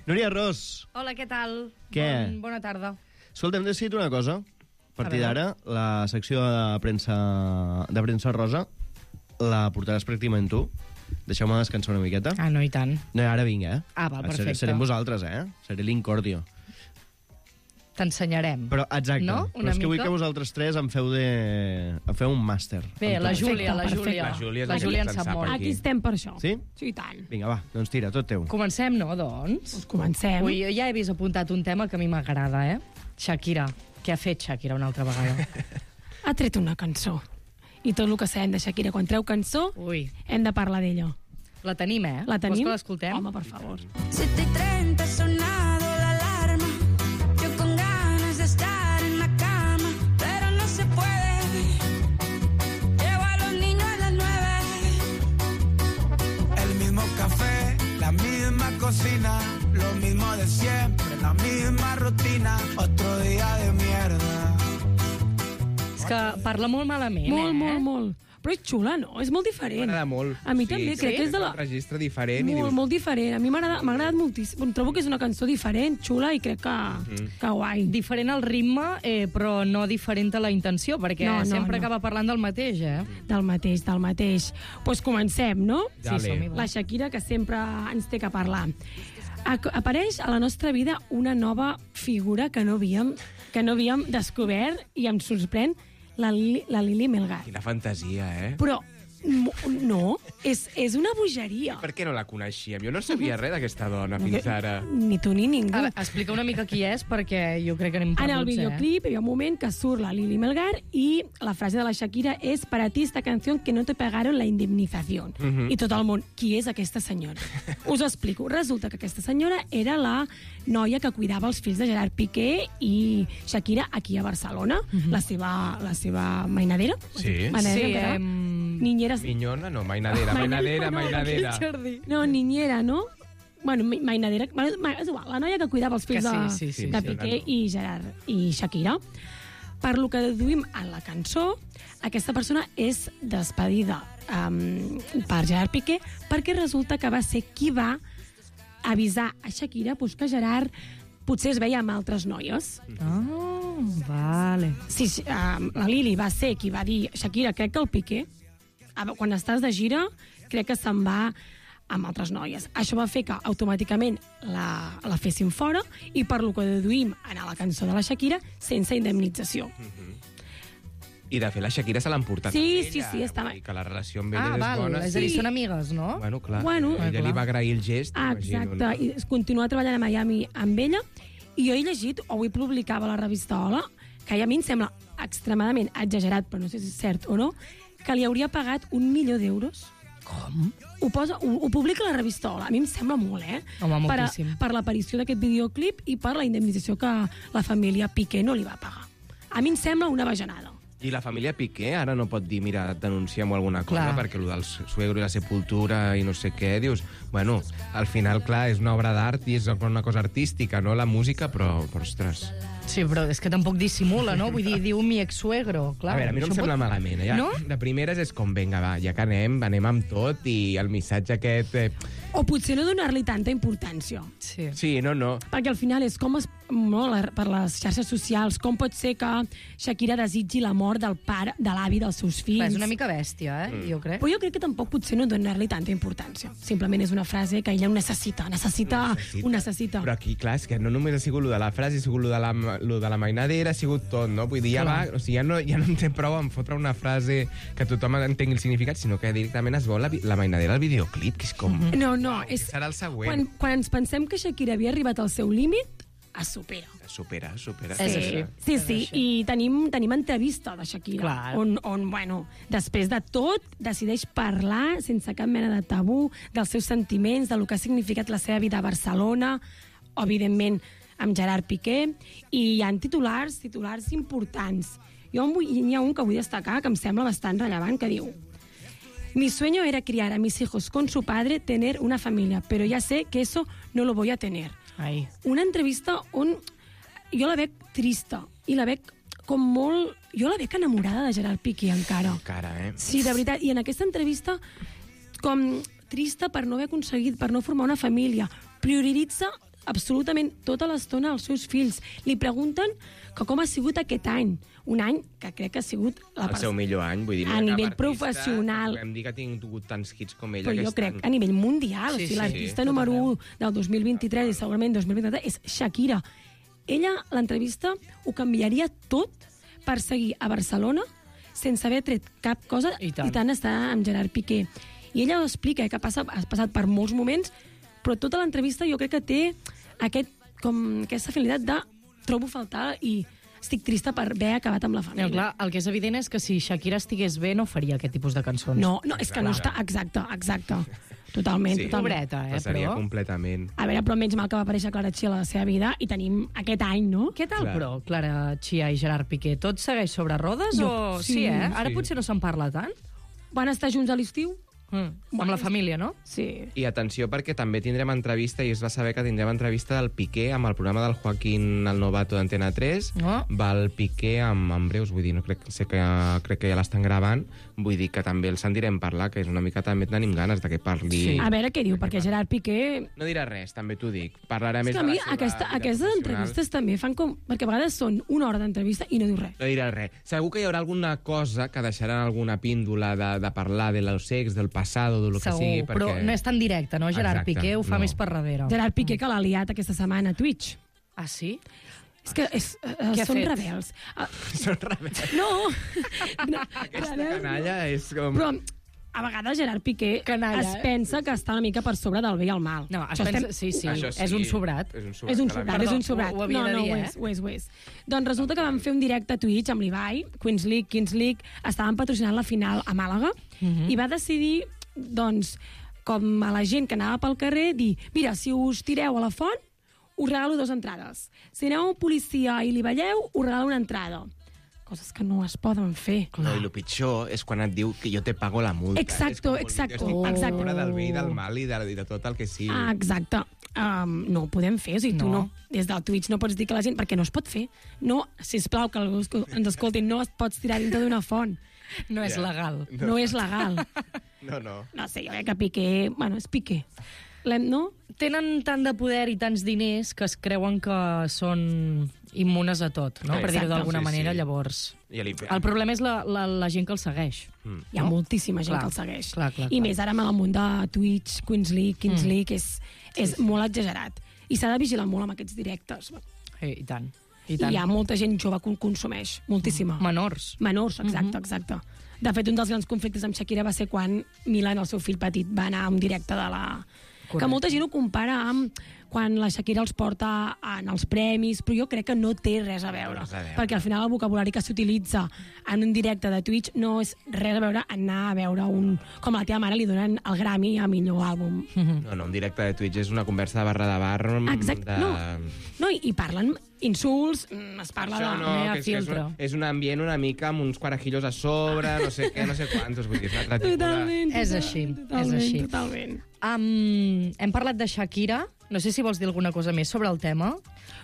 Núria Ros. Hola, què tal? Què? Bona tarda. Escolta, hem decidit una cosa. A partir d'ara, la secció de premsa rosa la portaràs pràcticament tu. Deixeu-me descansar una miqueta. Ah, no, i tant. No, ara vinc, Ah, val, perfecte. Serem vosaltres, Seré l'incordio. T'ensenyarem. Però, exacte. No? Però és que vull que vosaltres tres em feu un màster. Bé, la Júlia en sap molt. Aquí estem per això. Sí? Sí, i tant. Vinga, va, doncs tira, tot teu. Comencem, no, doncs? Doncs comencem. Ui, ja he vist apuntat un tema que a mi m'agrada, Shakira. Què ha fet Shakira una altra vegada? Ha tret una cançó. I tot el que sabem de Shakira, quan treu cançó, hem de parlar d'ella. La tenim, La tenim? Vols que l'escoltem? Home, per favor. 7:30 sonado la alarma. Yo con ganas de estar en la cama, pero no se puede. Llevo a los niños a las 9. El mismo café, la misma cocina, lo mismo de siempre, la misma rutina, otro día de mierda. És que parla molt malament, Molt. Però és xula, no? És molt diferent. M'agrada molt. A mi també, crec que és de la... un registre diferent. Molt diferent. A mi m'ha agradat moltíssim. Trobo que és una cançó diferent, xula, i crec que guai. Diferent al ritme, però no diferent a la intenció, perquè sempre acaba parlant del mateix, Del mateix. Doncs comencem, no? Sí, som-hi. La Shakira, que sempre ens té que parlar. Apareix a la nostra vida una nova figura que no havíem descobert i em sorprèn, la Lili Melgar. Quina fantasia, Però no, és una bogeria. Per què no la coneixíem? Jo no sabia res d'aquesta dona fins ara. Ni tu ni ningú. Ara, explica una mica qui és, perquè jo crec que anem perduts, En el videoclip hi ha un moment que surt la Lili Melgar i la frase de la Shakira és «Para ti esta canción que no te pagaron la indemnización». I tot el món, qui és aquesta senyora? Us ho explico. Resulta que aquesta senyora era la noia que cuidava els fills de Gerard Piqué i Shakira aquí a Barcelona, la seva mainadera. Sí. Mainadera, niñera. Minyona, no, mainadera. No, niñera, no? Bueno, mainadera, és igual, la noia que cuidava els fills de Piqué i Gerard i Shakira. Per lo que deduïm en la cançó, aquesta persona és despedida per Gerard Piqué perquè resulta que va ser qui va avisar a Shakira que Gerard potser es veia amb altres noies. Vale. Sí, la Lili va ser qui va dir Shakira, crec que el Piqué, quan estàs de gira, crec que se'n va amb altres noies. Això va fer que automàticament la fessin fora i per lo que deduïm a la cançó de la Shakira, sense indemnització. I de fet la Shakira se l'han portat Sí, amb ella. sí, estava... Que la relació amb ella és bona. És a dir, són amigues, no? Bueno, clar. Bueno, ella li va agrair el gest. Exacte, imagino, no? i es continua treballant a Miami amb ella, i jo he llegit, o avui publicava a la revista Hola, que a mi em sembla extremadament exagerat, però no sé si és cert o no, que li hauria pagat 1 milió d'euros. Com? Ho publica la revista Hola. A mi em sembla molt, Home, moltíssim. Per l'aparició d'aquest videoclip i per la indemnització que la família Piqué no li va pagar. A mi em sembla una bajanada. I la família Piqué ara no pot dir, mira, denunciem alguna cosa, perquè el del suegro i la sepultura i no sé què, dius, bueno, al final, clar, és una obra d'art i és una cosa artística, no?, la música, però ostres... Sí, però és que tampoc dissimula, no? Vull dir, diu mi ex-suegro, clar. A veure, a mi no em sembla malament, ja. No? De primeres és com, vinga, va, ja que anem amb tot, i el missatge aquest... O potser no donar-li tanta importància. Sí, no. Perquè al final és com per les xarxes socials, com pot ser que Shakira desitgi la mort del pare, de l'avi dels seus fills. Clar, és una mica bèstia, jo crec. Però jo crec que tampoc potser no donar-li tanta importància. Simplement és una frase que ella ho necessita. Però aquí, clar, és que no només ha sigut lo de la frase, ha sigut lo de la mainadera, ha sigut tot, no? Vull dir, ja va, o sigui, ja no en té prou en fotre una frase que tothom entengui el significat, sinó que directament es veu la mainadera al videoclip, que és com... No, és... Serà el següent. Quan ens pensem que Shakira havia arribat al seu límit, es supera. Supera. Sí, i tenim entrevista de Shakira, on, bueno, després de tot, decideix parlar sense cap mena de tabú dels seus sentiments, del que ha significat la seva vida a Barcelona, evidentment amb Gerard Piqué, i hi ha titulars importants. Hi ha un que vull destacar, que em sembla bastant rellevant, que diu: mi sueño era criar a mis hijos con su padre, tener una familia, pero ya sé que eso no lo voy a tener. Ai. Una entrevista on jo la veig trista i la veig com molt... Jo la veig enamorada de Gerard Piqué encara. Sí, de veritat. I en aquesta entrevista com trista per no haver aconseguit, per no formar una família. Prioritza absolutament tota l'estona als seus fills. Li pregunten que com ha sigut aquest any. Un any que crec que ha sigut... El seu millor any, vull dir... A nivell professional. Podem dir que ha tingut tants hits com ella. Però jo crec a nivell mundial. Sí, l'artista número 1 del 2023 i segurament 2023 és Shakira. Ella, l'entrevista, ho canviaria tot per seguir a Barcelona sense haver tret cap cosa i tant està amb Gerard Piqué. I ella ho explica, que ha passat per molts moments, però tota l'entrevista jo crec que té aquesta finalitat de trobo faltar i estic trista per haver acabat amb la família. Clar, el que és evident és que si Shakira estigués bé no faria aquest tipus de cançons. No, és que no està... Exacte. Totalment. Pobreta, passaria completament. A veure, però menys mal que va aparèixer Clara Chia a la seva vida i tenim aquest any, no? Què tal, però, Clara Chia i Gerard Piqué? Tot segueix sobre rodes o... Sí, Ara potser no se'n parla tant? Van estar junts a l'estiu? Amb la família, no? Sí. I atenció, perquè també tindrem entrevista, i es va saber que tindrem entrevista del Piqué amb el programa del Joaquín el Novato d'Antena 3. Va el Piqué amb breus, vull dir, crec que ja l'estan gravant, vull dir que també el sentirem parlar, que és una mica també tenim ganes de que parli... Sí. A veure què diu, perquè Gerard Piqué... No dirà res, també t'ho dic. Parlarà més de la seva aquestes entrevistes també fan com... Perquè a vegades són una hora d'entrevista i no diu res. No dirà res. Segur que hi haurà alguna cosa que deixaran alguna píndola de parlar de los ex, del passado, de lo que sigui, perquè... Però no és tan directe, no? Gerard Piqué ho fa més per darrere. Gerard Piqué que l'ha liat aquesta setmana a Twitch. Ah, sí? És que són rebels. Són rebels. No! Aquesta canalla és com... Però a vegades Gerard Piqué es pensa que està una mica per sobre del bé i el mal. No, es pensa... Sí, és un sobrat. És un sobrat. Ho havia de dir, ho és. Doncs resulta que vam fer un directe a Twitch amb l'Ibai, Queens League, estaven patrocinant la final a Màlaga, i va decidir, doncs, com a la gent que anava pel carrer, dir, mira, si us tireu a la font, us regalo 2 entrades. Si aneu a un policia i li balleu, us regalo una entrada. Coses que no es poden fer. No, i el pitjor és quan et diu que jo te pago la multa. Exacte. Estic fora del bé i del mal i de tot el que sigui. Exacte. No ho podem fer, o sigui, tu no. Des del Twitch no pots dir que la gent... Perquè no es pot fer. No, sisplau, que algú ens escolti, no es pots tirar dintre d'una font. No és legal. No és legal. No. No sé, jo crec que Piqué... Bueno, és Piqué. No? Tenen tant de poder i tants diners que es creuen que són immunes a tot, no? Per dir-ho d'alguna manera, llavors... El problema és la gent que el segueix. Hi ha moltíssima gent que el segueix. I més ara amb el món de Twitch, Queens League, és molt exagerat. I s'ha de vigilar molt amb aquests directes. I tant. I hi ha molta gent jove que consumeix, moltíssima. Menors. Menors, exacte. De fet, un dels grans conflictes amb Shakira va ser quan Milan, el seu fill petit, va anar a un directe de la... Que molta gent ho compara amb quan la Shakira els porta en els premis, però jo crec que no té res a veure. Perquè al final el vocabulari que s'utilitza en un directe de Twitch no és res a veure anar a veure un... Com a la teva mare li donen el Grammy a millor àlbum. No, un directe de Twitch és una conversa de barra de bar... Exacte, no, i parlen insults, es parla de filtre. És un ambient una mica amb uns quarajillos a sobre, no sé què, no sé quantos, vull dir, és un altre tipus de... Totalment. És així. Totalment. Hem parlat de Shakira, no sé si vols dir alguna cosa més sobre el tema.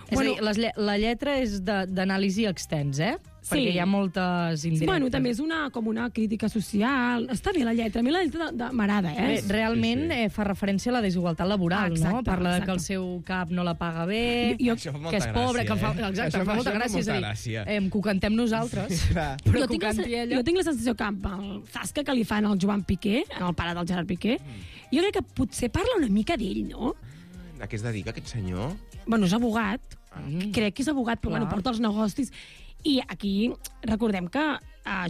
Bueno, és a dir, la lletra és d'anàlisi extens, perquè hi ha moltes indirectes. Bueno, també és com una crítica social. Està bé la lletra, a mi la lletra m'agrada, Realment fa referència a la desigualtat laboral, no? Parla que el seu cap no la paga bé, que és pobre, que fa molta gràcia. És a dir, que ho cantem nosaltres, però que ho canti ella. Jo tinc la sensació que amb el zasca que li fan al Joan Piqué, el pare del Gerard Piqué, jo crec que potser parla una mica d'ell, no? A què es dedica aquest senyor? Bueno, és abogat. Crec que és abogat, però porta els negocis. I aquí recordem que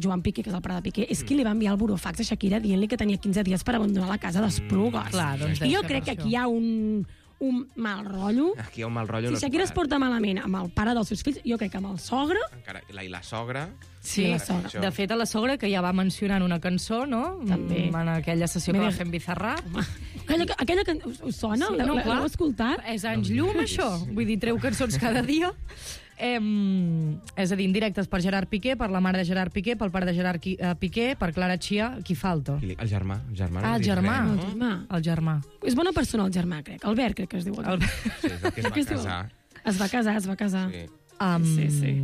Joan Piqué, que és el pare de Piqué, és qui li va enviar el burofax a Shakira dient-li que tenia 15 dies per abandonar la casa d'Esplugues. I jo crec que aquí hi ha un mal rotllo. Aquí hi ha un mal rotllo. Si Shakira es porta malament amb el pare dels seus fills, jo crec que amb el sogre... I la sogra... Sí, de fet, a la sogra, que ja va mencionar en una cançó, no? També. En aquella sessió que va fer en Bizarrap. Aquella que us sona? L'heu escoltat? És anys llum, això. Vull dir, treu cançons cada dia. És a dir, indirectes per Gerard Piqué, per la mare de Gerard Piqué, pel pare de Gerard Piqué, per Clara Chia, qui falta? El germà. El germà. És bona persona, el germà, crec. Albert, crec que es diu. Sí, és el que es va casar. Es va casar. Sí.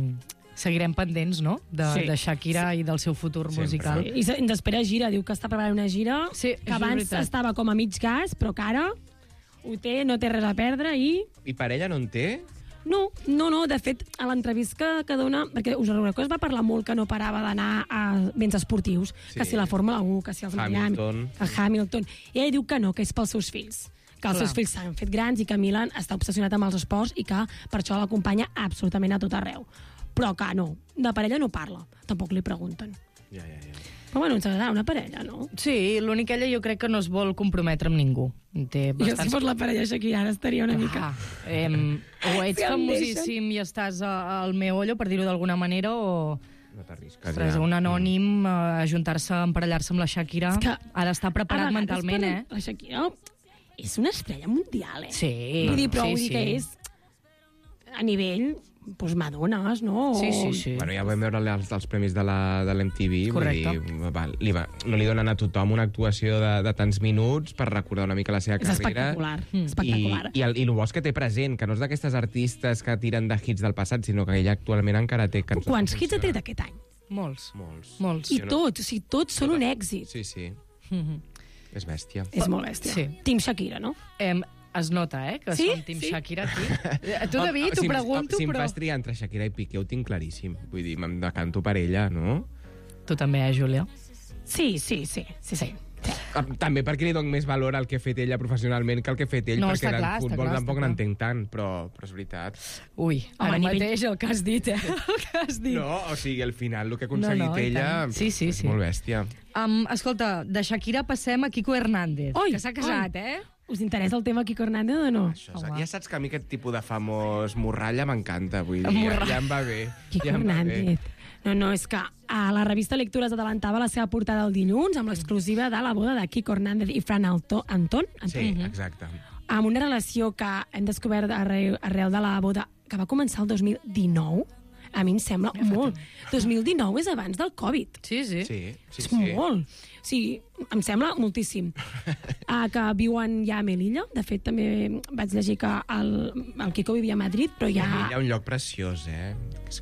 Seguirem pendents, no?, de Shakira i del seu futur musical. I ens espera gira, diu que està preparant una gira, que abans estava com a mig gas, però que ara ho té, no té res a perdre i... I per ella no en té? No, de fet, a l'entrevista que dona... Perquè us recordeu que es va parlar molt que no parava d'anar a béns esportius, que si la Fórmula 1, que si els Miami, que Hamilton... I ella diu que no, que és pels seus fills. Que els seus fills s'han fet grans i que Milan està obsessionat amb els esports i que per això l'acompanya absolutament a tot arreu. Però que no, de parella no parla. Tampoc li pregunten. Però bueno, ens agradarà una parella, no? Sí, l'únic ella jo crec que no es vol comprometre amb ningú. Jo si fos la parella Shakira ara estaria una mica... O ets famosíssim i estàs al meollo, per dir-ho d'alguna manera, o... No t'arrisques, un anònim ajuntar-se, emparellar-se amb la Shakira, ha d'estar preparat mentalment, La Shakira és una estrella mundial, Sí. Vull dir, però vull dir que és a nivell... Pues Madones, no? Sí. Bueno, ja vam veure els premis de l'MTV. Correcte. No li donen a tothom una actuació de tants minuts per recordar una mica la seva carrera. És espectacular. I el bo és que té present, que no és d'aquestes artistes que tiren de hits del passat, sinó que ella actualment encara té cançons. Quants hits ha tret aquest any? Molts. I tots són un èxit. Sí. És bèstia. És molt bèstia. Team Shakira, no? Es nota, que som Team Shakira aquí. Tu, David, t'ho pregunto, però... Si em però... fas triar entre Shakira i Piqué, ho tinc claríssim. Vull dir, me'n decanto per ella, no? Tu també, Júlia? Sí. També perquè li dono més valor al que ha fet ella professionalment que al que ha fet ell, perquè del futbol tampoc n'entenc tant, però és veritat. Ui, ara mateix el que has dit, No, o sigui, al final el que ha aconseguit ella és molt bèstia. Escolta, de Shakira passem a Kiko Hernández, que s'ha casat, Us interessa el tema Kiko Hernández o no? Ja saps que a mi aquest tipus de famós morralla m'encanta, vull dir, ja em va bé. Kiko Hernández. No, és que a la revista Lectures adelantava la seva portada el dilluns amb l'exclusiva de la boda de Kiko Hernández i Fran Antón. Sí, exacte. Amb una relació que hem descobert arrel de la boda que va començar el 2019. A mi em sembla molt. 2019 és abans del Covid. Sí. És molt. Sí, em sembla moltíssim. Que viuen ja a Melilla. De fet, també vaig llegir que el Kiko vivia a Madrid, però ja... Hi ha un lloc preciós,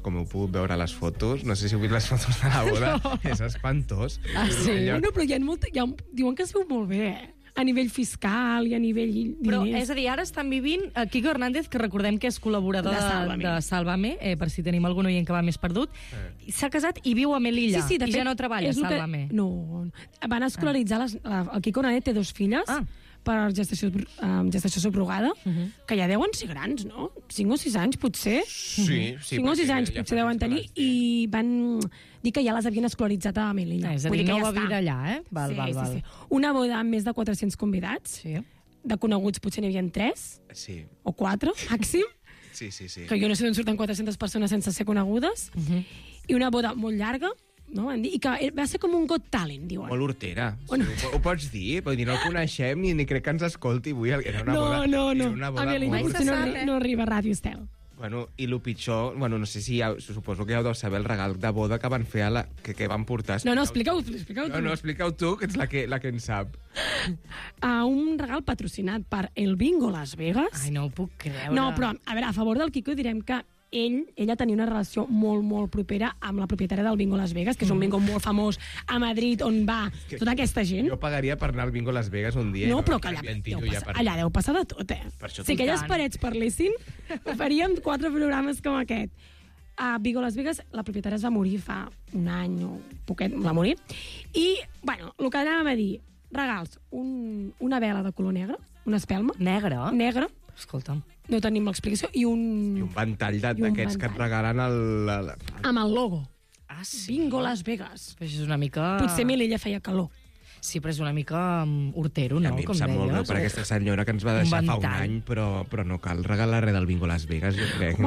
Com heu pogut veure a les fotos. No sé si heu vist les fotos de la boda. És espantós. Sí? Bueno, però diuen que es veu molt bé, a nivell fiscal i a nivell diners. Però, és a dir, ara estan vivint Quico Hernández, que recordem que és col·laborador de Sálvame, per si tenim algun oient que va més perdut, s'ha casat i viu a Melilla, sí, de i fet, ja no treballa a Sálvame. No, van escolaritzar, el Quico Hernández té 2 filles, per gestació subrogada, que ja deuen ser grans, no? 5 o 6 anys, potser? Sí. 5 o 6 anys potser deuen tenir, i van dir que ja les havien escolaritzat a Melilla. És a dir, no va viure allà, Val. Sí. Una boda amb més de 400 convidats, de coneguts potser n'hi havia 3, o 4, màxim. Sí. Que jo no sé d'on surten 400 persones sense ser conegudes. I una boda molt llarga, no? I que va ser com un Got Talent, diuen. Molt hortera. Ho pots dir? Vull dir, no el coneixem ni crec que ens escolti avui. Era una boda. No. Era una boda a Melilla potser no arriba a Ràdio Estel. Bueno, i el pitjor, no sé si suposo que ja deu saber el regal de boda que van fer que van portar. No, explica-ho tu. No, explica-ho tu, que ets la que en sap. Un regal patrocinat per el Bingo Las Vegas. Ai, no ho puc creure. No, però, a veure, a favor del Quico direm que ella tenia una relació molt, molt propera amb la propietària del Bingo Las Vegas, que és un bingo molt famós a Madrid, on va tota aquesta gent. Jo pagaria per anar al Bingo Las Vegas un dia. No, però que allà deu passar de tot, Si aquelles parets parlessin, faríem 4 programes com aquest. A Bingo Las Vegas, la propietària es va morir fa un any o poquet, va morir. I, el que anàvem a dir, regals, una vela de color negre, una espelma. Negra. Escolta'm. No tenim l'explicació. I un ventall d'aquests que et regalen amb el logo. Bingo Las Vegas. Però això és una mica... Potser Melilla feia calor. Sí, però és una mica hortero, no? A mi em sap molt greu per aquesta senyora que ens va deixar fa un any, però no cal regalar res del Bingo Las Vegas, jo crec.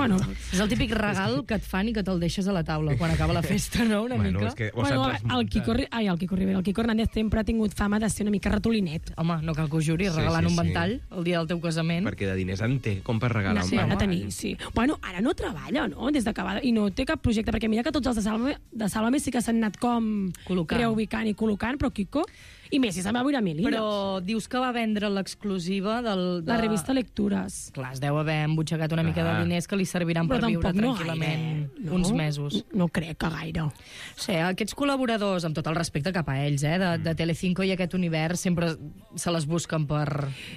És el típic regal que et fan i que te'l deixes a la taula quan acaba la festa, no? Una mica. El Quico Hernández sempre ha tingut fama de ser una mica ratolinet. Home, no cal que ho juri, regalant un ventall el dia del teu casament. Perquè de diners en té, com per regalar un ventall. Ha de tenir, sí. Ara no treballa, no? Des d'acabada, i no té cap projecte, perquè mira que tots els de Sálvame sí que s'han anat com reubicant i col·locant, però Quico... I Messi se'n va viure a Melilla. Però dius que va vendre l'exclusiva de la revista Lectures. Clar, es deu haver embutxacat una mica de diners que li serviran per viure tranquil·lament uns mesos. No crec que gaire. Sí, aquests col·laboradors, amb tot el respecte cap a ells, de Telecinco i aquest univers, sempre se les busquen per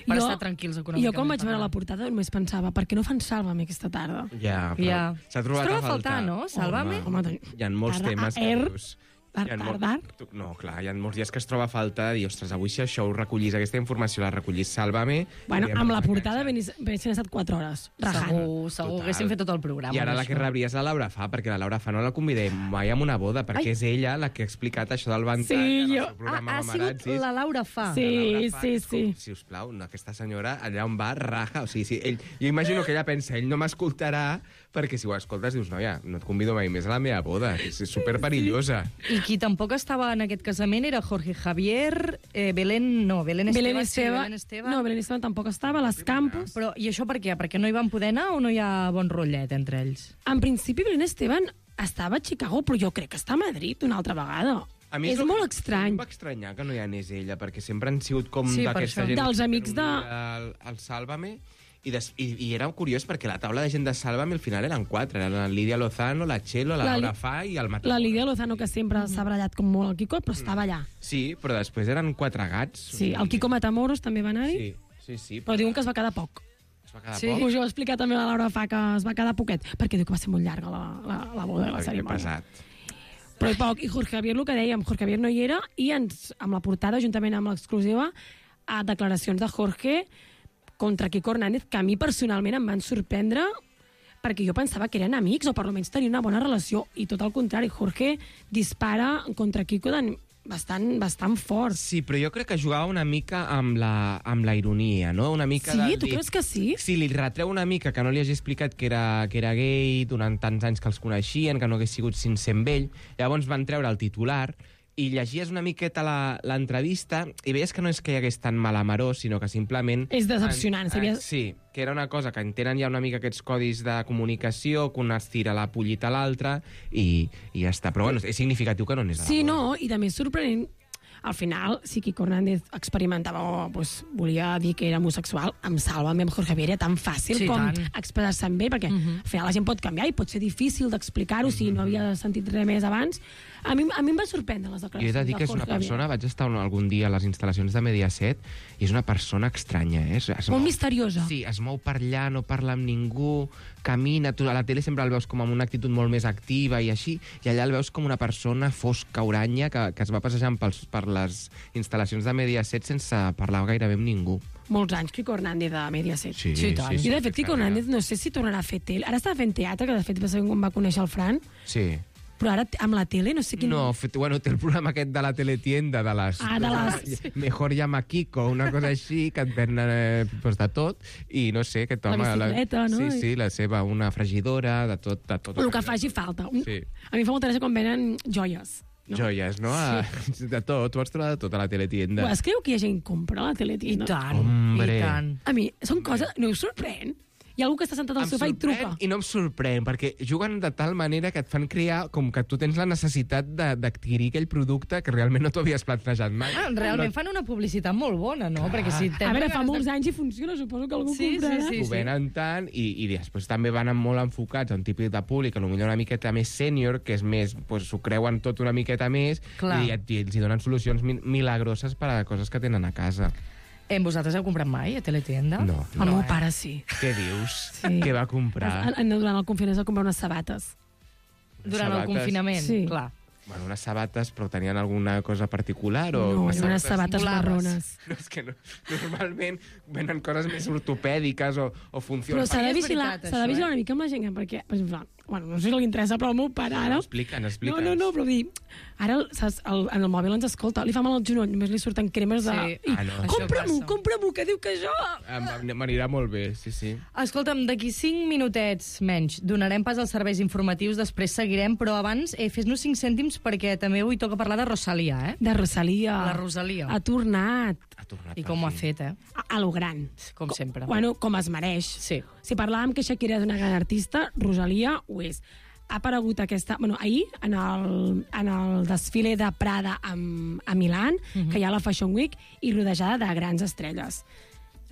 estar tranquils econòmicament. Jo quan vaig veure la portada només pensava, per què no fan Sálvame aquesta tarda? Ja, però s'ha trobat a faltar, no? Sálvame? Hi ha molts temes que dius... Tardar? No, clar, hi ha molts dies que es troba a falta de dir, ostres, avui si això ho recollís, aquesta informació la recollís, Sálvame... Amb la portada haguessin estat 4 hores, rajant. Segur, haguéssim fet tot el programa. I ara la que rebries la Laura Fa, perquè la Laura Fa no la convidem mai amb una boda, perquè és ella la que ha explicat això del ventall en el seu programa Mamarazzis. Ha sigut la Laura Fa. Sí. Si us plau, aquesta senyora allà on va, raja. O sigui, jo imagino que ella pensa, ell no m'escoltarà, perquè si ho escoltes dius, noia, no et convido mai més a la meva boda, és superperillosa. I qui tampoc estava en aquest casament era Jorge Javier, Belén Esteban. No, Belén Esteban tampoc estava, les Campos. Però, i això per què? Perquè no hi van poder anar o no hi ha bon rotllet entre ells? En principi, Belén Esteban estava a Chicago, però jo crec que està a Madrid una altra vegada. És molt estrany. Em va estranyar que no hi anés ella, perquè sempre han sigut com d'aquesta gent... Dels amics de... El Sálvame... I era curiós perquè la taula de gent de Sálvame al final eren 4. Eren la Lídia Lozano, la Txelo, la Laura Fa i el Mató. La Lídia Lozano, que sempre s'ha barallat com molt el Quico, però estava allà. Sí, però després eren 4 gats. Sí, el Quico Matamoros també va anar-hi. Sí. Però diuen que es va quedar poc. Es va quedar poc? Us ho ha explicat també la Laura Fa, que es va quedar poquet, perquè diu que va ser molt llarga la boda de la cerimònia. Però poc. I Jorge Javier, el que dèiem, Jorge Javier no hi era, i amb la portada, juntament amb l'exclusiva, a declaracions de Jorge contra Quico Hernández, que a mi personalment em van sorprendre perquè jo pensava que eren amics o per almenys tenien una bona relació, i tot el contrari, Jorge dispara contra Quico bastant fort. Sí, però jo crec que jugava una mica amb la ironia, no? Una mica sí? Tu creus que sí? Sí, li retreu una mica que no li hagi explicat que era gay durant tants anys que els coneixien, que no hagués sigut sincer amb ell. Llavors van treure el titular i llegies una miqueta l'entrevista i veies que no és que hi hagués tan malamaró, sinó que simplement... És decepcionant. Sí, que era una cosa que entenen ja una mica aquests codis de comunicació, que un es tira la pollita a l'altre i ja està. Però bueno, és significatiu que no anés a la boda. Sí, no, i també és sorprenent al final, si Quico Hernández experimentava o volia dir que era homosexual, amb Sálvame, amb Jorge Javier, era tan fàcil com expressar-se amb ell, perquè al final la gent pot canviar i pot ser difícil d'explicar-ho si no havia sentit res més abans. A mi em va sorprendre les declaracions. Jo he de dir que és una persona, vaig estar algun dia a les instal·lacions de Mediaset, i és una persona estranya, molt misteriosa. Sí, es mou per allà, no parla amb ningú, camina, tu a la tele sempre el veus com amb una actitud molt més activa i així, i allà el veus com una persona fosca, oranya, que es va passejant per les instal·lacions de Mediaset sense parlar gairebé amb ningú. Molts anys, Quico Hernández de Mediaset. Sí, I de fet, Quico Hernández no sé si tornarà a fer tele. Ara estava fent teatre, que de fet va ser quan va conèixer el Fran. Sí. Però ara amb la tele no sé quin... No, té el programa aquest de la teletienda, de les... Mejor llama Kiko, una cosa així, que et ven de tot, i no sé, aquest home... La bicicleta, no? Sí, la seva, una fregidora, de tot. El que faci falta. Sí. A mi fa molta gràcia quan venen joies. No? Joies, no? Sí. De tot, tu vas trobar de tot a la teletienda. Es creu que hi ha gent que compra la teletienda? I tant, Hombre. i tant. A mi, són coses... No us sorprèn? Hi ha algú que està sentat al sofà i truca. I no em sorprèn, perquè juguen de tal manera que et fan crear com que tu tens la necessitat d'adquirir aquell producte que realment no t'ho havies plantejat mai. Realment fan una publicitat molt bona, no? Perquè si a veure, fa molts anys i funciona, suposo que algú comprarà. Sí. Ho venen tant, i després també van molt enfocats a un tipus de públic, potser una miqueta més sènior, que és més, s'ho creuen tot una miqueta més, i els hi donen solucions milagroses per a coses que tenen a casa. Vosaltres heu comprat mai a teletienda? No. El meu pare sí. Què dius? Sí. Què va comprar? Durant el confinament va comprar unes sabates. Durant el confinament? Sí. Clar. Bueno, unes sabates, però tenien alguna cosa particular? No, unes sabates marrones. No, és que no. Normalment venen coses més ortopèdiques o funcions. Però s'ha de vigilar una mica amb la gent, perquè, no sé si li interessa, però el meu pare ara... Explica'ns. No, però dir... Ara, saps, en el mòbil ens escolta, li fa mal al genoll, només li surten cremes de... Sí. Compra-m'ho, que diu que jo... M'anirà molt bé, sí. Escolta'm, d'aquí 5 minutets menys donarem pas als serveis informatius, després seguirem, però abans fes-nos 5 cèntims perquè també avui toca parlar de Rosalia, De Rosalia. La Rosalia. Ha tornat. I com ho ha fet, A lo gran. Com sempre. Bueno, com es mereix. Sí. Si parlàvem que Shakira és una gran artista, Rosalia ho és. Ha aparegut ahir, en el desfile de Prada a Milán, que hi ha la Fashion Week, i rodejada de grans estrelles.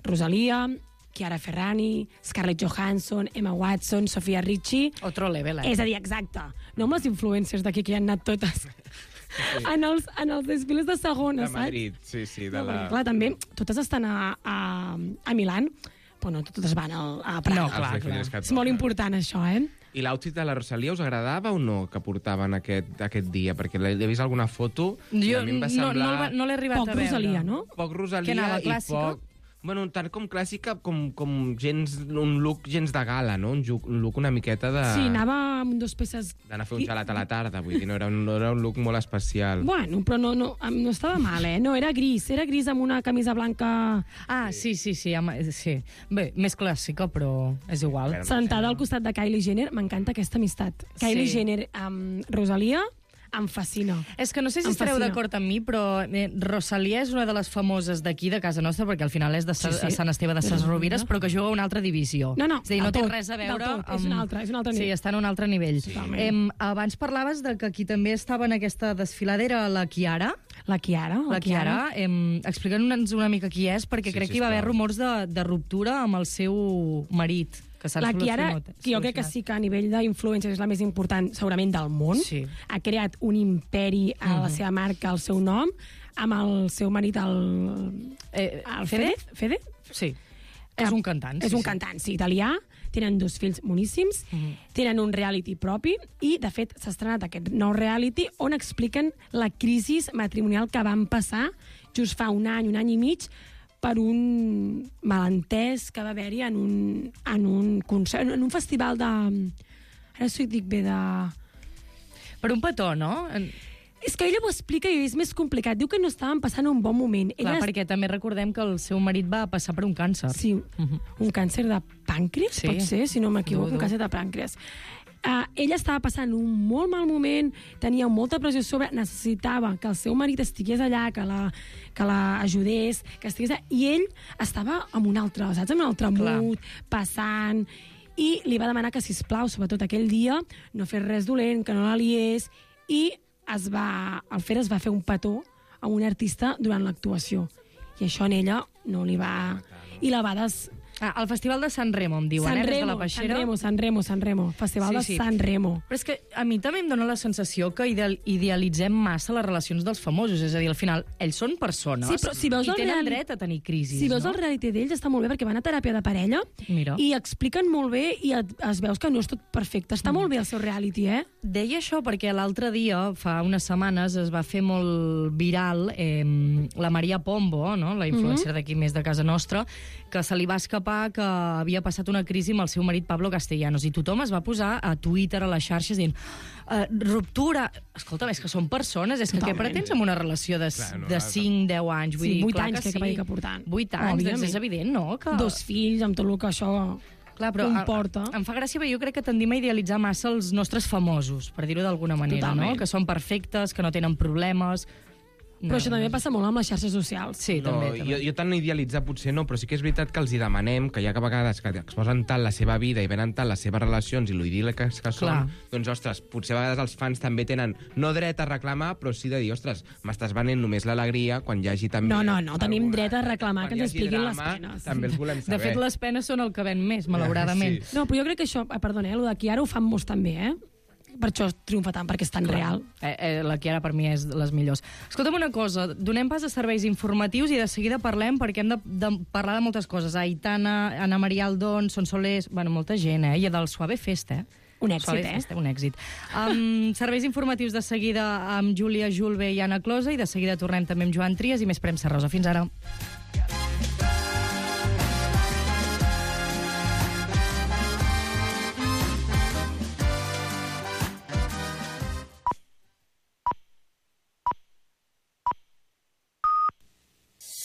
Rosalia, Chiara Ferrani, Scarlett Johansson, Emma Watson, Sofia Richie... Otro level, És a dir, exacte. No amb les influencers d'aquí que hi han anat totes. Sí. En els desfiles de segona, saps? De Madrid, sí. Clar, també, totes estan a Milán, però no totes van a Prada. No, clar. És molt important, això, I l'outfit de la Rosalia us agradava o no, que portaven aquest dia? Perquè he vist alguna foto i a mi em va semblar... No l'he arribat a veure. Poc Rosalia, no? Poc Rosalia. Que anava i clàssica? Poc... Bueno, tant com clàssica com un look gens de gala, no? Un look una miqueta de... Sí, anava amb 2 peces... D'anar a fer un gelat a la tarda, vull dir, no era un look molt especial. Bueno, però no estava mal, No, era gris amb una camisa blanca... Ah, sí. Bé, més clàssica, però és igual. Sentada al costat de Kylie Jenner, m'encanta aquesta amistat. Kylie Jenner amb Rosalia... em fascina. És que no sé si estareu d'acord amb mi, però Rosalia és una de les famoses d'aquí, de casa nostra, perquè al final és de Sant Esteve de Ses Rovires, però que juga a una altra divisió. No, és a dir, no té res a veure amb... És un altre nivell. Sí, està en un altre nivell. Sí. Abans parlaves de que aquí també estava en aquesta desfiladera la Chiara. La Chiara. Explica'ns una mica qui és, perquè crec que hi va haver rumors de ruptura amb el seu marit. La Chiara, que jo crec que sí que a nivell d'influència és la més important segurament del món, ha creat un imperi a la seva marca, al seu nom, amb el seu marit, el Fede? Sí, és un cantant. És un cantant, sí, italià. Tenen 2 fills moníssims, tenen un reality propi i, de fet, s'ha estrenat aquest nou reality on expliquen la crisi matrimonial que van passar just fa un any i mig, per un malentès que va haver-hi en un concert, en un festival de... Ara s'ho dic bé, de... Per un petó, no? És que ella ho explica i és més complicat. Diu que no estaven passant un bon moment. Clar, perquè també recordem que el seu marit va passar per un càncer. Sí, un càncer de pàncreas, pot ser, si no m'equivoco, un càncer de pàncreas. Ella estava passant un molt mal moment, tenia molta pressió sobre, necessitava que el seu marit estigués allà, que la ajudés, que estigués allà, i ell estava amb un altre, saps? Amb un altre mood, passant, i li va demanar que, sisplau, sobretot aquell dia, no fes res dolent, que no la liés, i el Fer es va fer un petó a un artista durant l'actuació. I això en ella no li va... I la va al Festival de San Remo, em diuen, des de la Peixera. San Remo. Festival de San Remo. Però és que a mi també em dóna la sensació que idealitzem massa les relacions dels famosos. És a dir, al final, ells són persones i tenen dret a tenir crisis. Si veus el reality d'ells, està molt bé, perquè van a teràpia de parella i expliquen molt bé i es veus que no és tot perfecte. Està molt bé el seu reality, Deia això perquè l'altre dia, fa unes setmanes, es va fer molt viral la Maria Pombo, no? La influencer d'aquí més de casa nostra, que se li va escapar que havia passat una crisi amb el seu marit Pablo Castellanos, i tothom es va posar a Twitter, a les xarxes, dient ruptura. Escolta, és que són persones, és que què pretens amb una relació de 5-10 anys? Vull dir, 8 anys que portant. 8 anys, doncs és evident, no? 2 fills, amb tot el que això... Clar, però em fa gràcia, perquè jo crec que tendim a idealitzar massa els nostres famosos, per dir-ho d'alguna manera, no? Que són perfectes, que no tenen problemes... Però això també passa molt amb les xarxes socials. Sí, també. Jo tan idealitzar potser no, però sí que és veritat que els hi demanem que ja que a vegades que exposen tant la seva vida i venen tant les seves relacions i l'idíl·liques que són, doncs, ostres, potser a vegades els fans també tenen no dret a reclamar, però sí de dir, ostres, m'estàs venent només l'alegria quan hi hagi també... No, tenim dret a reclamar que ens expliquin les penes. També els volem saber. De fet, les penes són el que ven més, malauradament. No, però jo crec que això, perdona, el de Chiara ho fan molts també, per això triomfa tant, perquè és tan real. La Chiara per mi és de les millors. Escolta'm una cosa, donem pas a serveis informatius i de seguida parlem, perquè hem de parlar de moltes coses. Aitana, Ana Maria Aldón, Son Solés, bueno, molta gent, i del Suave Fest, Un èxit, Suave Fest, un èxit. Serveis informatius de seguida amb Júlia Julve i Anna Closa, i de seguida tornem també amb Joan Trias i més premsa rosa. Fins ara.